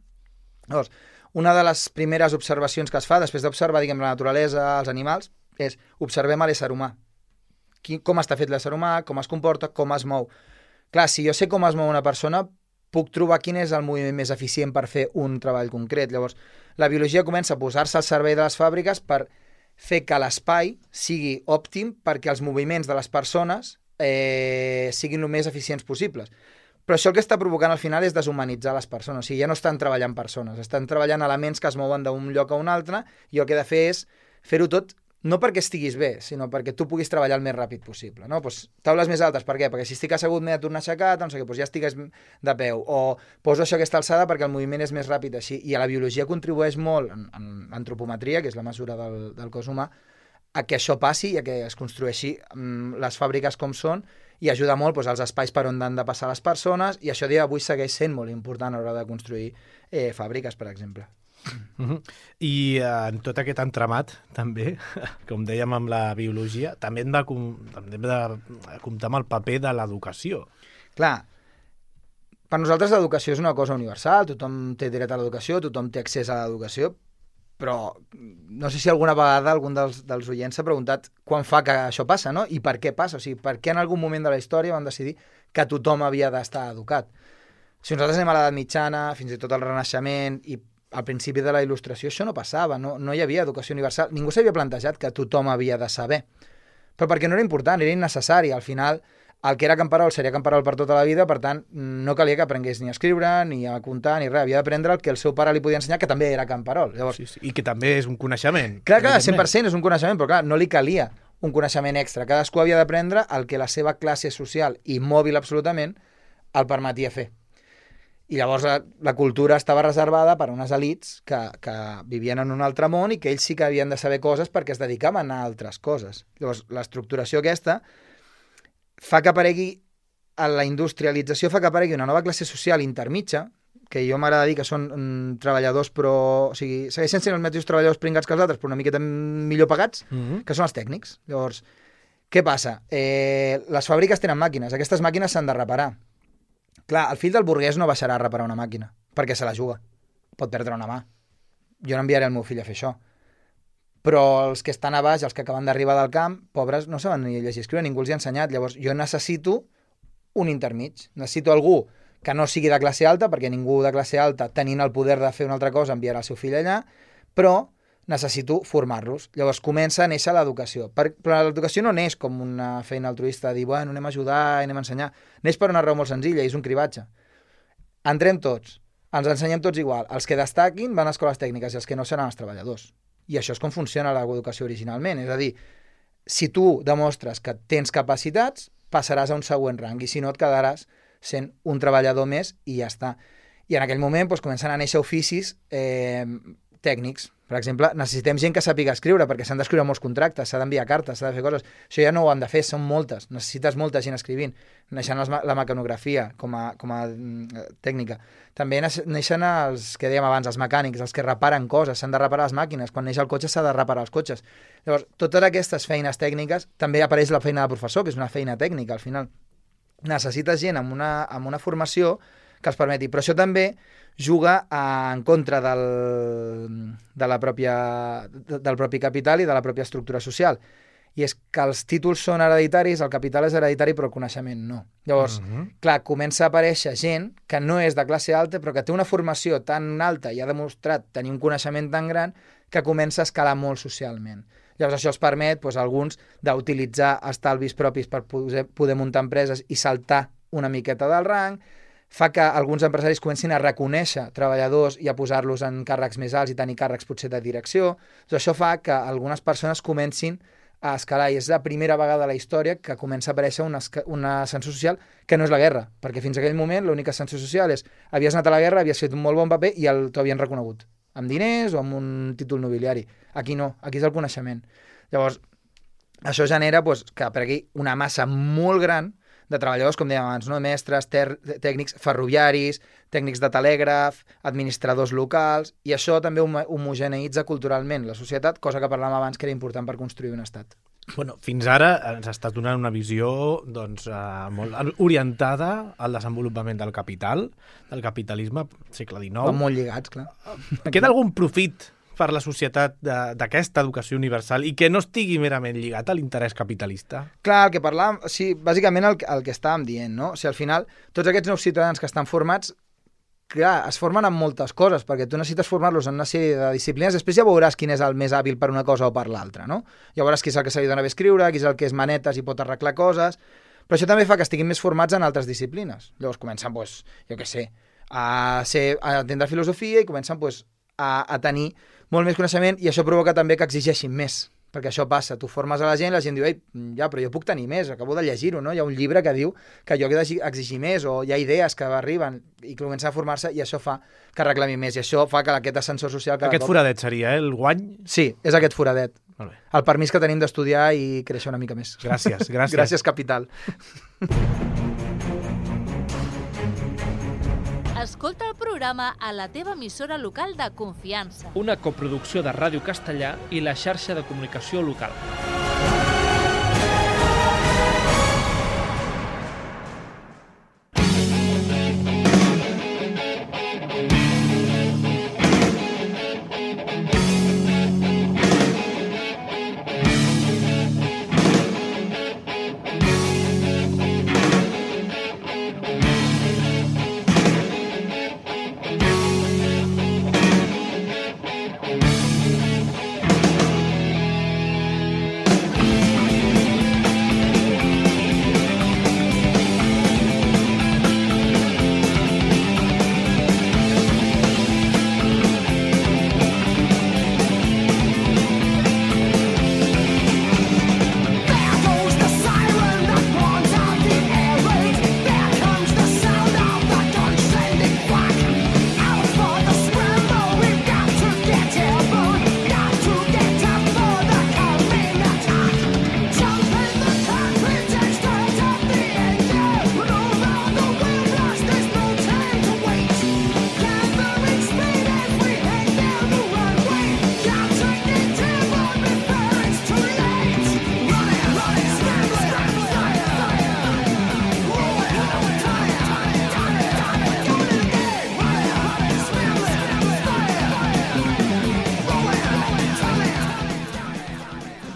Llavors, una de les primeres observacions que es fa, després d'observar, diguem, la naturalesa, els animals, és observem a l'ésser humà. Com està fet l'ésser humà, com es comporta, com es mou. Clar, si jo sé com es mou una persona, puc trobar quin és el moviment més eficient per fer un treball concret. Llavors, la biologia comença a posar-se al servei de les fàbriques per fer que l'espai sigui òptim perquè els moviments de les persones siguin el més eficients possibles. Però això el que està provocant al final és deshumanitzar les persones. O sigui, ja no estan treballant persones, estan treballant elements que es mouen d'un lloc a un altre i el que he de fer és fer-ho tot no perquè estiguis bé, sinó perquè tu puguis treballar el més ràpid possible. No? Pues, taules més altes, per què? Perquè si estic assegut m'he de tornar a aixecar, doncs ja estigues de peu. O poso això a aquesta alçada perquè el moviment és més ràpid així. I a la biologia contribueix molt, en l'antropometria, que és la mesura del cos humà, a que això passi i a que es construeixi les fàbriques com són i ajuda molt als espais per on han de passar les persones i això d'avui segueix sent molt important a l'hora de construir fàbriques, per exemple. I en tot aquest entramat també, com dèiem amb la biologia, també hem de comptar amb el paper de l'educació. Clar, per nosaltres l'educació és una cosa universal, tothom té dret a l'educació, tothom té accés a l'educació, però no sé si alguna vegada algun dels oients s'ha preguntat quan fa que això passa, no? I per què passa? O sigui, per què en algun moment de la història van decidir que tothom havia d'estar educat? Si nosaltres anem a l'edat mitjana, fins i tot al Renaixement i al principi de la Il·lustració això no passava, no hi havia educació universal, ningú s'havia plantejat que tothom havia de saber, però perquè no era important, era innecessari, al final el que era camperol seria camperol per tota la vida, per tant no calia que aprengués ni a escriure, ni a comptar, ni res, havia d'aprendre el que el seu pare li podia ensenyar, que també era camperol. Llavors, sí. I que també és un coneixement. Clar, 100% és un coneixement, però clar, no li calia un coneixement extra, cadascú havia d'aprendre el que la seva classe social i mòbil absolutament el permetia fer. I llavors la cultura estava reservada per a unes elits que vivien en un altre món i que ells sí que havien de saber coses perquè es dedicaven a altres coses. Llavors, l'estructuració aquesta fa que aparegui, la industrialització fa que aparegui una nova classe social intermitja, que jo m'agrada dir que són treballadors però... O sigui, segueixen sent els mateixos treballadors pringats que els altres, però una miqueta millor pagats, que són els tècnics. Llavors, què passa? Les fàbriques tenen màquines, aquestes màquines s'han de reparar. Clar, el fill del burguès no baixarà a reparar una màquina, perquè se la juga. Pot perdre una mà. Jo no enviaré el meu fill a fer això. Però els que estan a baix, els que acaben d'arribar del camp, pobres, no saben ni llegir i escriure, ningú els hi ha ensenyat. Llavors, jo necessito un intermig. Necessito algú que no sigui de classe alta, perquè ningú de classe alta, tenint el poder de fer una altra cosa, enviarà el seu fill allà, però necessito formar-los. Llavors comença a néixer l'educació. Però l'educació no neix com una feina altruista, de dir, bueno, anem a ajudar, anem a ensenyar. Neix per una raó molt senzilla, i és un cribatge. Entrem tots, ens ensenyem tots igual. Els que destaquin van a escoles tècniques i els que no seran els treballadors. I això és com funciona l'educació originalment. És a dir, si tu demostres que tens capacitats, passaràs a un següent rang, i si no et quedaràs sent un treballador més i ja està. I en aquell moment doncs, comencen a néixer oficis tècnics. Per exemple, necessitem gent que sàpiga escriure, perquè s'han d'escriure molts contractes, s'ha d'enviar cartes, s'ha de fer coses. Això ja no ho han de fer, són moltes. Necessites molta gent escrivint. Neixen la mecanografia com a tècnica. També neixen els que dèiem abans, els mecànics, els que reparen coses, s'han de reparar les màquines. Quan neix el cotxe s'ha de reparar els cotxes. Llavors, totes aquestes feines tècniques, també apareix la feina de professor, que és una feina tècnica, al final. Necessites gent amb una formació que els permeti. Però això també juga en contra del propi capital i de la pròpia estructura social. I és que els títols són hereditaris, el capital és hereditari, però el coneixement no. Llavors, clar, comença a aparèixer gent que no és de classe alta, però que té una formació tan alta i ha demostrat tenir un coneixement tan gran que comença a escalar molt socialment. Llavors això els permet, alguns, d'utilitzar estalvis propis per poder muntar empreses i saltar una miqueta del rang, fa que alguns empresaris comencin a reconèixer treballadors i a posar-los en càrrecs més alts i tenir càrrecs potser de direcció. Doncs això fa que algunes persones comencin a escalar, i és la primera vegada a la història que comença a aparèixer un ascensor social que no és la guerra, perquè fins a aquell moment l'únic ascensor social és havies anat a la guerra, havies fet un molt bon paper i t'ho havien reconegut, amb diners o amb un títol nobiliari. Aquí no, aquí és el coneixement. Llavors, això genera que aparegui una massa molt gran de treballadors, com dèiem abans, no? Mestres, tècnics ferroviaris, tècnics de telègraf, administradors locals, i això també homogeneïtza culturalment la societat, cosa que parlàvem abans que era important per construir un estat. Bueno, fins ara ens estàs donant una visió molt orientada al desenvolupament del capital, del capitalisme, segle XIX. Van molt lligats, clar. Queda algun profit per la societat d'aquesta educació universal i que no estigui merament lligat a l'interès capitalista? Clar, el que parlàvem, sí, bàsicament el que estàvem dient, no? O sigui, al final, tots aquests nous ciutadans que estan formats, clar, es formen en moltes coses, perquè tu necessites formar-los en una sèrie de disciplines, després ja veuràs quin és el més hàbil per una cosa o per l'altra, no? Ja veuràs qui és el que se li dona bé escriure, qui és el que és manetes i pot arreglar coses, però això també fa que estiguin més formats en altres disciplines. Llavors comencen, jo què sé, a entendre filosofia i comencen, a tenir molt més coneixement, i això provoca també que exigeixin més, perquè això passa, tu formes a la gent diu, ei, ja, però jo puc tenir més, acabo de llegir-ho, no? Hi ha un llibre que diu que jo he d'exigir més, o hi ha idees que arriben i comencen a formar-se, i això fa que reclami més, i això fa que aquest ascensor social... Aquest foradet seria, el guany? Sí, és aquest foradet. Molt bé. El permís que tenim d'estudiar i créixer una mica més. Gràcies. Gràcies, capital. Escolta el programa a la teva emissora local de confiança. Una coproducció de Ràdio Castellà i la xarxa de comunicació local.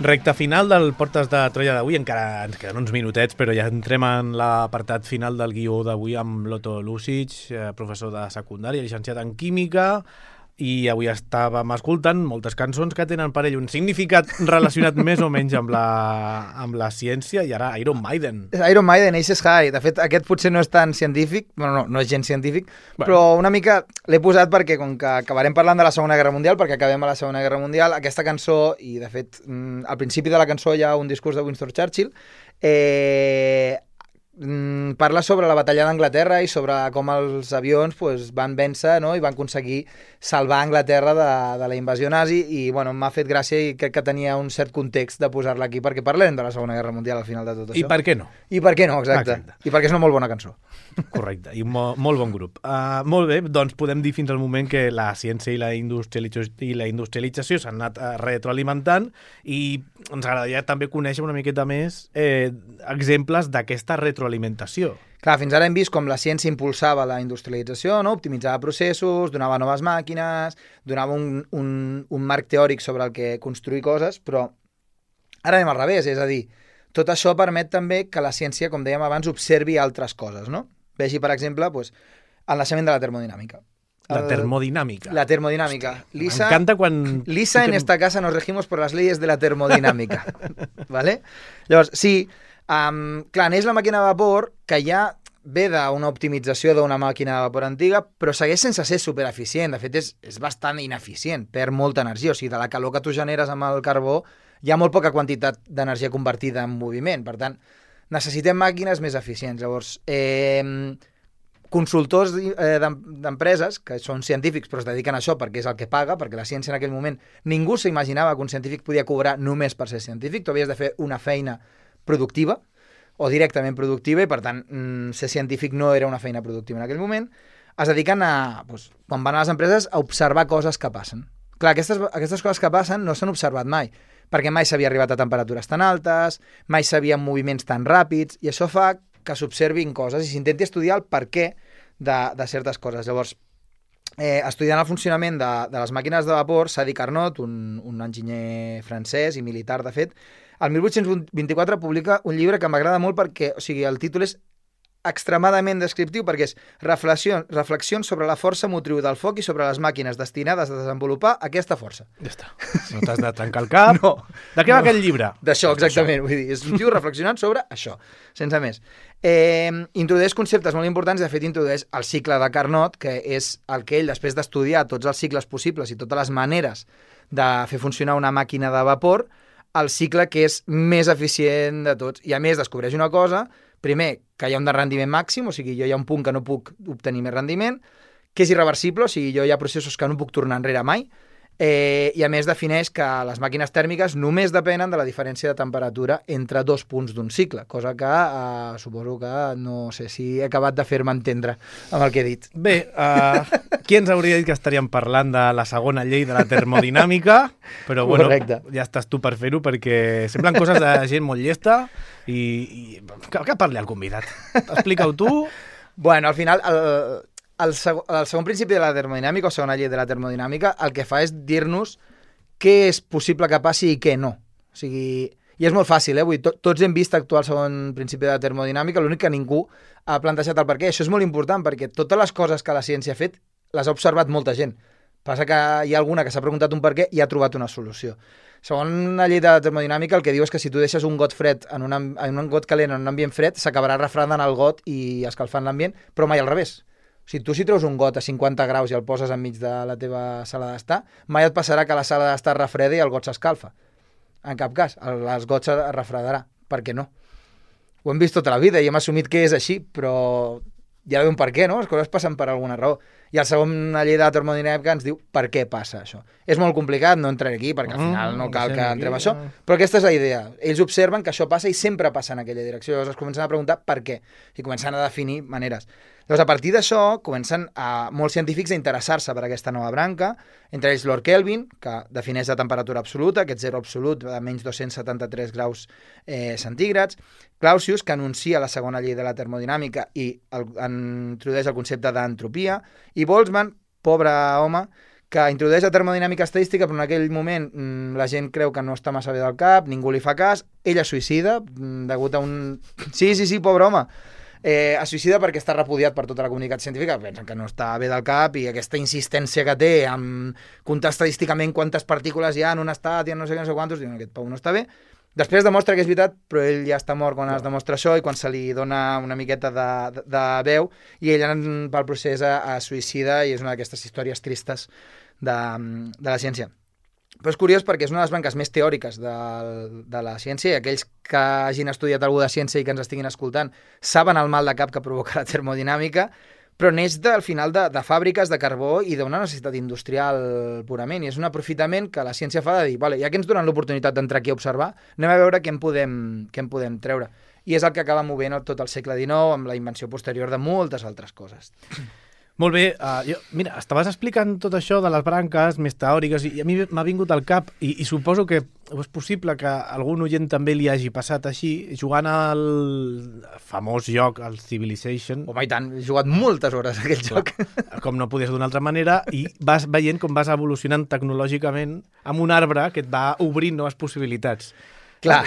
Recte final del Portes de Troia d'avui, encara ens queden uns minutets, però ja entrem en l'apartat final del guió d'avui amb l'Otto Lucic, professor de secundària, llicenciat en Química, i avui estàvem escoltant moltes cançons que tenen per ell un significat relacionat més o menys amb la ciència, i ara Iron Maiden. Iron Maiden, Aces High. De fet, aquest potser no és tan científic, bueno, no és gens científic, però una mica l'he posat perquè, com que acabarem parlant de la Segona Guerra Mundial, perquè acabem a la Segona Guerra Mundial, aquesta cançó, i de fet, al principi de la cançó hi ha un discurs de Winston Churchill, parla sobre la batalla d'Anglaterra i sobre com els avions van vèncer, no? I van aconseguir salvar Anglaterra de la invasió nazi, i bueno, m'ha fet gràcia i crec que tenia un cert context de posar-la aquí perquè parlem de la Segona Guerra Mundial al final de tot això. I per què no? I per què no, exacte. I perquè és una molt bona cançó. Correcte, i molt bon grup. Molt bé, doncs podem dir fins al moment que la ciència i la industrialització s'han anat retroalimentant, i ens agradaria també conèixer una miqueta més exemples d'aquesta retroalimentació. Clar, fins ara hem vist com la ciència impulsava la industrialització, no? Optimitzava processos, donava noves màquines, donava un marc teòric sobre el que construir coses, però ara anem al revés, és a dir, tot això permet també que la ciència, com dèiem abans, observi altres coses, no? Vegi, per exemple, el naixement de la termodinàmica. La termodinàmica. La termodinàmica. Lisa, m'encanta quan... Lisa, en esta casa nos regimos por las leyes de la termodinámica. ¿Vale? Llavors, sí, clar, neix la màquina de vapor, que ja ve d'una optimització d'una màquina de vapor antiga, però segueix sense ser supereficient. De fet, és bastant ineficient, perd molta energia. O sigui, de la calor que tu generes amb el carbó hi ha molt poca quantitat d'energia convertida en moviment. Per tant, necessitem màquines més eficients. Llavors, consultors d'empreses, que són científics però es dediquen a això perquè és el que paga, perquè la ciència en aquell moment ningú s'imaginava que un científic podia cobrar només per ser científic, tu havies de fer una feina productiva o directament productiva, i per tant ser científic no era una feina productiva en aquell moment. Es dediquen a, quan van a les empreses, a observar coses que passen. Clar, aquestes coses que passen no s'han observat mai, perquè mai s'havia arribat a temperatures tan altes, mai s'havien moviments tan ràpids, i això fa que s'observin coses i s'intenti estudiar el perquè de certes coses. Llavors, estudiant el funcionament de les màquines de vapor, Sadi Carnot, un enginyer francès i militar, de fet, el 1824 publica un llibre que m'agrada molt perquè, o sigui, el títol és extremadament descriptiu, perquè és reflexions sobre la força motriu del foc i sobre les màquines destinades a desenvolupar aquesta força. Ja està. No t'has de tancar el cap. No. De què va aquell llibre? D'això, exactament. Vull dir, és un tio reflexionant sobre això, sense més. Introdueix conceptes molt importants, de fet introdueix el cicle de Carnot, que és el que ell, després d'estudiar tots els cicles possibles i totes les maneres de fer funcionar una màquina de vapor, el cicle que és més eficient de tots. I a més descobreix una cosa, primer, que hi ha un rendiment màxim, o sigui, jo hi ha un punt que no puc obtenir més rendiment, que és irreversible, o sigui, jo hi ha processos que no puc tornar enrere mai, i a més defineix que les màquines tèrmiques només depenen de la diferència de temperatura entre dos punts d'un cicle, cosa que suposo que no sé si he acabat de fer-me entendre amb el que he dit. Bé, qui ens hauria dit que estaríem parlant de la segona llei de la termodinàmica, però bueno, correcte. Ja estàs tu per fer-ho, perquè semblen coses de gent molt llesta i que parli el convidat. Explica-ho tu. Bueno, al final... El segon principi de la termodinàmica, o segona llei de la termodinàmica, el que fa és dir-nos què és possible que passi i què no. O sigui, i és molt fàcil, vull dir, tots hem vist actuar el segon principi de la termodinàmica, l'únic que ningú ha plantejat el per què. Això és molt important, perquè totes les coses que la ciència ha fet les ha observat molta gent. Passa que hi ha alguna que s'ha preguntat un per què i ha trobat una solució. Segons la llei de la termodinàmica, el que diu és que si tu deixes un got fred en un got calent en un ambient fred, s'acabarà refredant el got i escalfant l'ambient, però mai al revés. O sigui, tu si treus un got a 50 graus i el poses enmig de la teva sala d'estar, mai et passarà que la sala d'estar es refreda i el got s'escalfa. En cap cas, el got es refredarà. Per què no? Ho hem vist tota la vida i hem assumit que és així, però hi ha d'haver un per què, no? Les coses passen per alguna raó. I el segon llei de la termodinàmica ens diu per què passa això. És molt complicat, no entraré aquí, perquè al final no cal que entrem a això, però aquesta és la idea. Ells observen que això passa i sempre passa en aquella direcció. Llavors es comencen a preguntar per què i comencen a definir maneres. Llavors, a partir d'això, comencen molts científics a interessar-se per aquesta nova branca, entre ells Lord Kelvin, que defineix la temperatura absoluta, aquest zero absolut de menys 273 graus centígrads, Clausius, que anuncia la segona llei de la termodinàmica i introdueix el concepte d'entropia, i Boltzmann, pobre home, que introdueix la termodinàmica estadística, però en aquell moment la gent creu que no està massa bé del cap, ningú li fa cas, ella es suïcida, degut a un... Sí, pobre home. Es suïcida perquè està repudiat per tota la comunitat científica, pensen que no està bé del cap, i aquesta insistència que té en comptar estadísticament quantes partícules hi ha en un estat i en no sé quantos, diuen, aquest Pau no està bé. Després demostra que és veritat, però ell ja està mort quan es demostra això i quan se li dona una miqueta de veu, i ell pel procés es suïcida, i és una d'aquestes històries tristes de la ciència. Però és curiós perquè és una de les branques més teòriques de la ciència, i aquells que hagin estudiat alguna de ciència i que ens estiguin escoltant saben el mal de cap que provoca la termodinàmica, però neix al final de fàbriques de carbó i d'una necessitat industrial purament, i és un aprofitament que la ciència fa de dir, vale, ja que ens donen l'oportunitat d'entrar aquí a observar, anem a veure què en podem treure. I és el que acaba movent tot el segle XIX amb la invenció posterior de moltes altres coses. Molt bé, mira, estaves explicant tot això de les branques més teòriques i a mi m'ha vingut al cap i suposo que és possible que algun oient també li hagi passat així, jugant al famós joc, el Civilization. Home, i tant, he jugat moltes hores a aquell joc. Com no podies d'una altra manera, i vas veient com vas evolucionant tecnològicament amb un arbre que et va obrint noves possibilitats. Clar.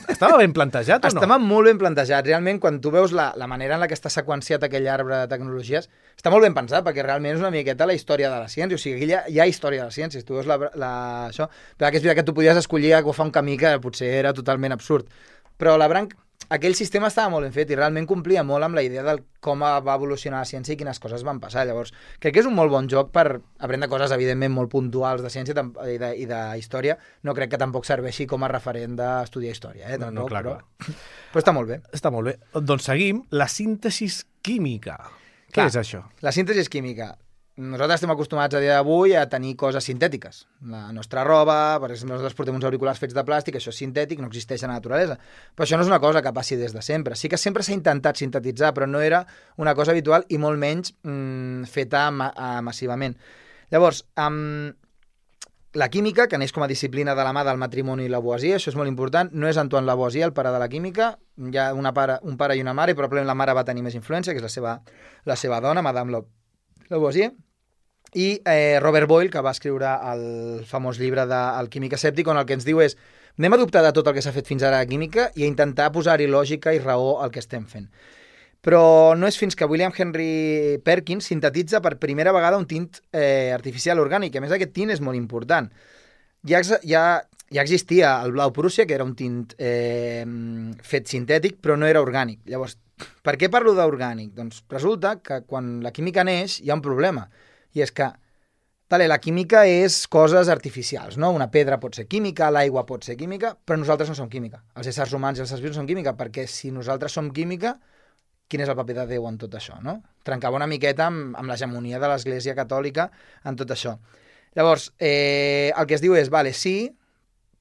Estava ben plantejat o no? Estava molt ben plantejat. Realment, quan tu veus la manera en la que està seqüenciat aquell arbre de tecnologies, està molt ben pensat, perquè realment és una miqueta la història de la ciència. O sigui, aquí hi ha història de la ciència. Si tu veus això... Però que és veritat que tu podies escollir agafar un camí que potser era totalment absurd. Però aquell sistema estava molt ben fet i realment complia molt amb la idea de com va evolucionar la ciència i quines coses van passar. Llavors, crec que és un molt bon joc per aprendre coses, evidentment, molt puntuals de ciència i de història. No crec que tampoc serveixi com a referent d'estudiar història. No, clar. Però està molt bé. Està molt bé. Doncs seguim. La síntesi química. Què és això? La síntesi química. Nosaltres estem acostumats a dia d'avui a tenir coses sintètiques. La nostra roba, per exemple, nosaltres portem uns auriculars fets de plàstic, això és sintètic, no existeix a la naturalesa. Però això no és una cosa que passi des de sempre. Sí que sempre s'ha intentat sintetitzar, però no era una cosa habitual i molt menys feta massivament. Llavors, la química, que neix com a disciplina de la mà del matrimoni i Lavoisier, això és molt important, no és Antoine Lavoisier, el pare de la química, hi ha un pare i una mare, i probablement la mare va tenir més influència, que és la seva dona, Madame Lavoisier, i Robert Boyle, que va escriure el famós llibre del Químic escèptic, on el que ens diu és anem a dubtar de tot el que s'ha fet fins ara a química i a intentar posar-hi lògica i raó al que estem fent. Però no és fins que William Henry Perkins sintetitza per primera vegada un tint artificial orgànic. A més, aquest tint és molt important. Ja existia el blau Prússia, que era un tint fet sintètic, però no era orgànic. Llavors, per què parlo d'orgànic? Doncs resulta que quan la química neix hi ha un problema, i és que la química és coses artificials, no? Una pedra pot ser química, l'aigua pot ser química, però nosaltres no som química. Els éssers humans i els éssers vius són química, perquè si nosaltres som química, quin és el paper de Déu en tot això, no? Trencava una miqueta amb l'hegemonia de l'Església Catòlica en tot això. Llavors, el que es diu és, sí,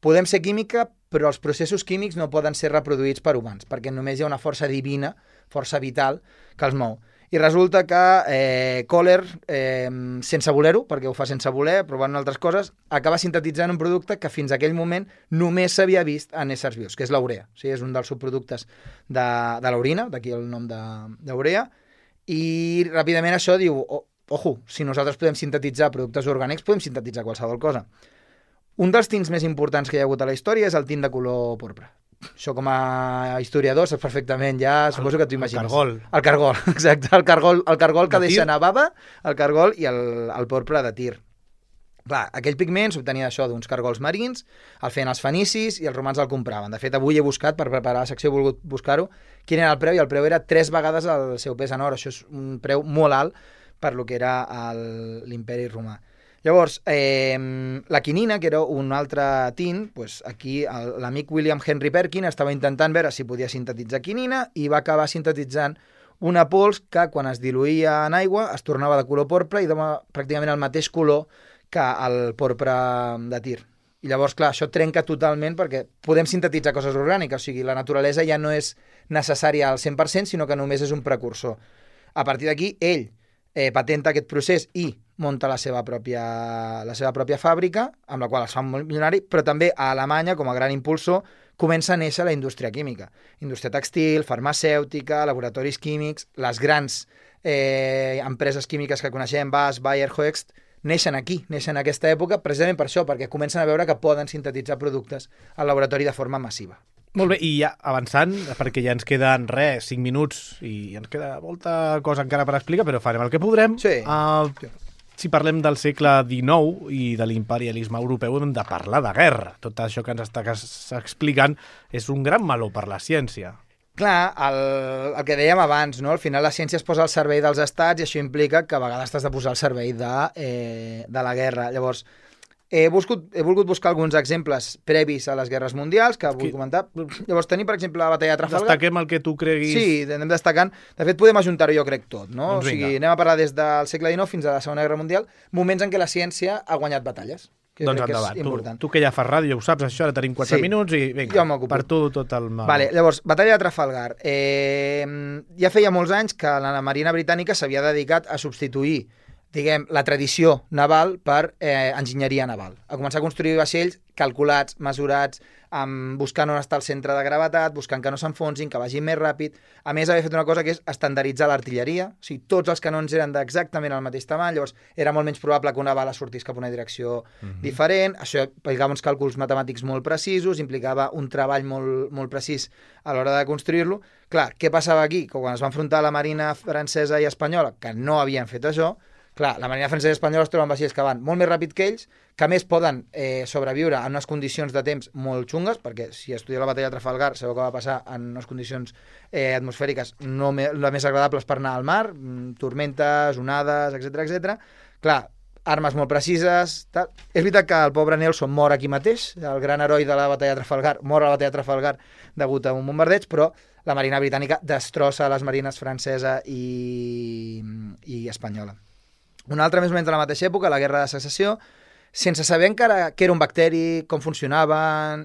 podem ser química, però els processos químics no poden ser reproduïts per humans, perquè només hi ha una força divina, força vital, que els mou. I resulta que Kohler, sense voler-ho, perquè ho fa sense voler, provant altres coses, acaba sintetitzant un producte que fins a aquell moment només s'havia vist en éssers vius, que és l'urea. O sigui, és un dels subproductes de l'orina, d'aquí el nom d'urea, i ràpidament això diu, ojo, si nosaltres podem sintetitzar productes orgànics, podem sintetitzar qualsevol cosa. Un dels tints més importants que hi ha hagut a la història és el tint de color porpra. Això com a historiador saps perfectament, ja suposo que t'ho imagines. El cargol, exacte. El cargol que deixa anar bava, el cargol i el porpra de Tir. Clar, aquell pigment s'obtenia d'això, d'uns cargols marins, el feien els fenicis i els romans el compraven. De fet, avui he buscat, per preparar la secció he volgut buscar-ho, quin era el preu, i el preu era 3 vegades el seu pes en or. Això és un preu molt alt per lo que era l'imperi romà. Llavors, la quinina, que era un altre tint, doncs aquí l'amic William Henry Perkins estava intentant veure si podia sintetitzar quinina i va acabar sintetitzant una pols que quan es diluïa en aigua es tornava de color porpra i dona pràcticament el mateix color que el porpra de Tir. I llavors, clar, això trenca totalment perquè podem sintetitzar coses orgàniques, o sigui, la naturalesa ja no és necessària al 100%, sinó que només és un precursor. A partir d'aquí, ell patenta aquest procés i munta la seva pròpia fàbrica, amb la qual es fa molt milionari, però també a Alemanya, com a gran impulsor, comença a néixer la indústria química. Indústria tèxtil, farmacèutica, laboratoris químics, les grans empreses químiques que coneixem, Bass, Bayer, Hoechst, neixen aquí, neixen en aquesta època, precisament per això, perquè comencen a veure que poden sintetitzar productes al laboratori de forma massiva. Molt bé, i ja avançant, perquè ja ens queden 5 minuts i ens queda molta cosa encara per explicar, però farem el que podrem. Sí. Si parlem del segle XIX i de l'imperialisme europeu, hem de parlar de guerra. Tot això que ens estàs explicant és un gran meló per la ciència. Clar, el que dèiem abans, no? Al final la ciència es posa al servei dels estats i això implica que a vegades t'has de posar al servei de la guerra. Llavors, he volgut buscar alguns exemples previs a les guerres mundials que vull comentar. Llavors, tenim, per exemple, la batalla de Trafalgar. Destaquem el que tu creguis. Sí, anem destacant. De fet, podem ajuntar-ho, jo crec, tot, no? Doncs o sigui, anem a parlar des del segle XIX fins a la Segona Guerra Mundial, moments en què la ciència ha guanyat batalles. Doncs endavant. Tu que ja fas ràdio, ja ho saps, això, ara tenim 4 minuts i vinga, per tu tot el mal. Vale, llavors, batalla de Trafalgar. Ja feia molts anys que la Marina Britànica s'havia dedicat a substituir diguem, la tradició naval per enginyeria naval. A començar a construir vaixells calculats, mesurats, buscant on està el centre de gravetat, buscant que no s'enfonsin, que vagin més ràpid. A més, havia fet una cosa que és estandarditzar l'artilleria. O sigui, tots els canons eren d'exactament el mateix tamany, llavors era molt menys probable que una bala sortís cap a una direcció diferent. Això implicava uns càlculs matemàtics molt precisos, implicava un treball molt precís a l'hora de construir-lo. Clar, què passava aquí? Que quan es va enfrontar la Marina francesa i espanyola, que no havien fet això, clar, la Marina francesa i espanyola es troben vaixells que van molt més ràpid que ells, que a més poden sobreviure en unes condicions de temps molt xungues, perquè si estudieu la batalla de Trafalgar sabeu que va passar en unes condicions atmosfèriques no les més agradables per anar al mar, tormentes, onades, etc. Clar, armes molt precises, tal. És veritat que el pobre Nelson mor aquí mateix, el gran heroi de la batalla de Trafalgar, mor a la batalla de Trafalgar degut a un bombardeig, però la Marina britànica destrossa les marines francesa i espanyola. Una altra més o menys de la mateixa època, la Guerra de Secessió, sense saber encara què era un bacteri, com funcionaven.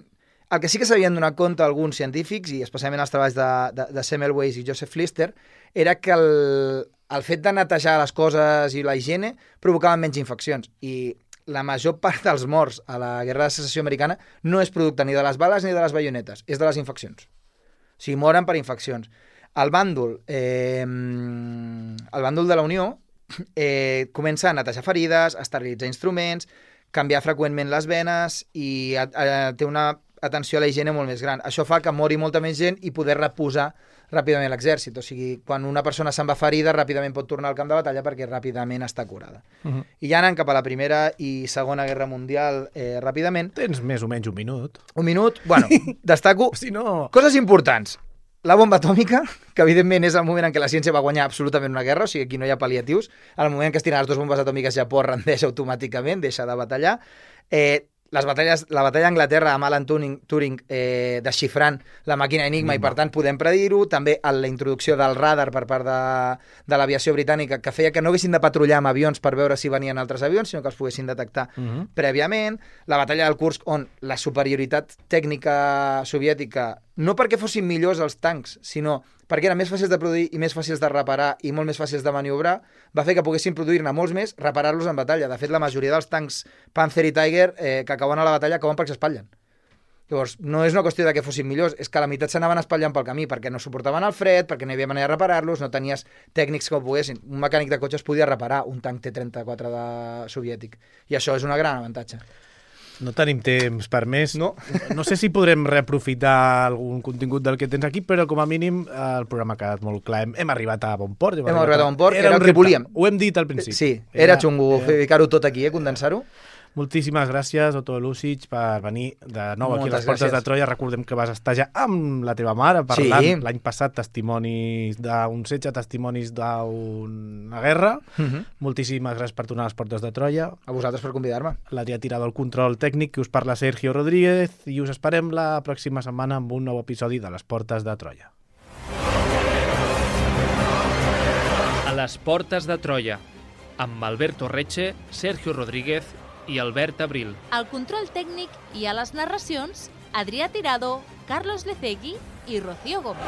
El que sí que s'havien donat compte alguns científics, i especialment els treballs de Semmelweis i Joseph Lister, era que el fet de netejar les coses i la higiene provocaven menys infeccions. I la major part dels morts a la Guerra de Secessió americana no és producte ni de les bales ni de les baionetes, és de les infeccions. O sigui, moren per infeccions. El bàndol de la Unió comença a netejar ferides, a esterilitzar instruments, canviar freqüentment les venes i té una atenció a la higiene molt més gran. Això fa que mori molta més gent i poder reposar ràpidament l'exèrcit. O sigui, quan una persona se'n va ferida, ràpidament pot tornar al camp de batalla perquè ràpidament està curada. I ja anant cap a la Primera i Segona Guerra Mundial ràpidament... Tens més o menys un minut. Un minut? Bueno, destaco si no... coses importants. La bomba atòmica, que evidentment és el moment en què la ciència va guanyar absolutament una guerra, o sigui, aquí no hi ha pal·liatius. En el moment en què es tiren les dues bombes atòmiques, Japó rendeix automàticament, deixa de batallar. La batalla d'Anglaterra amb Alan Turing desxifrant la màquina Enigma i per tant podem predir-ho. També la introducció del radar per part de l'aviació britànica que feia que no haguessin de patrullar amb avions per veure si venien altres avions, sinó que els poguessin detectar prèviament. La batalla del Kursk, on la superioritat tècnica soviètica, no perquè fossin millors els tancs, sinó perquè eren més fàcils de produir i més fàcils de reparar i molt més fàcils de maniobrar, va fer que poguessin produir-ne molts més, reparar-los en batalla. De fet, la majoria dels tancs Panzer i Tiger que acaben a la batalla acaben perquè s'espatllen. Llavors, no és una qüestió de que fossin millors, és que la meitat s'anaven espatllant pel camí, perquè no suportaven el fred, perquè no hi havia manera de reparar-los, no tenies tècnics que ho poguessin. Un mecànic de cotxe es podia reparar un tanc T-34 soviètic. I això és una gran avantatge. No tenim temps per més. No sé si podrem reaprofitar algun contingut del que tens aquí, però com a mínim el programa ha quedat molt clar. Hem arribat a bon port. Hem arribat a bon port, era el que volíem. Ho hem dit al principi. Sí, era xungo ficar-ho tot aquí, condensar-ho. Moltíssimes gràcies, Otto Lucic, per venir de nou aquí a les Portes de Troia. Recordem que vas estar ja amb la teva mare parlant l'any passat testimonis d'un setge, testimonis d'una guerra. Moltíssimes gràcies per tornar a les Portes de Troia. A vosaltres per convidar-me. L'Adrià Tirado al control tècnic, que us parla Sergio Rodríguez, i us esperem la pròxima setmana amb un nou episodi de les Portes de Troia. A les Portes de Troia, amb Alberto Reche, Sergio Rodríguez i Albert Abril. Al control tècnic i a les narracions, Adrià Tirado, Carlos Lecegui i Rocío Gómez.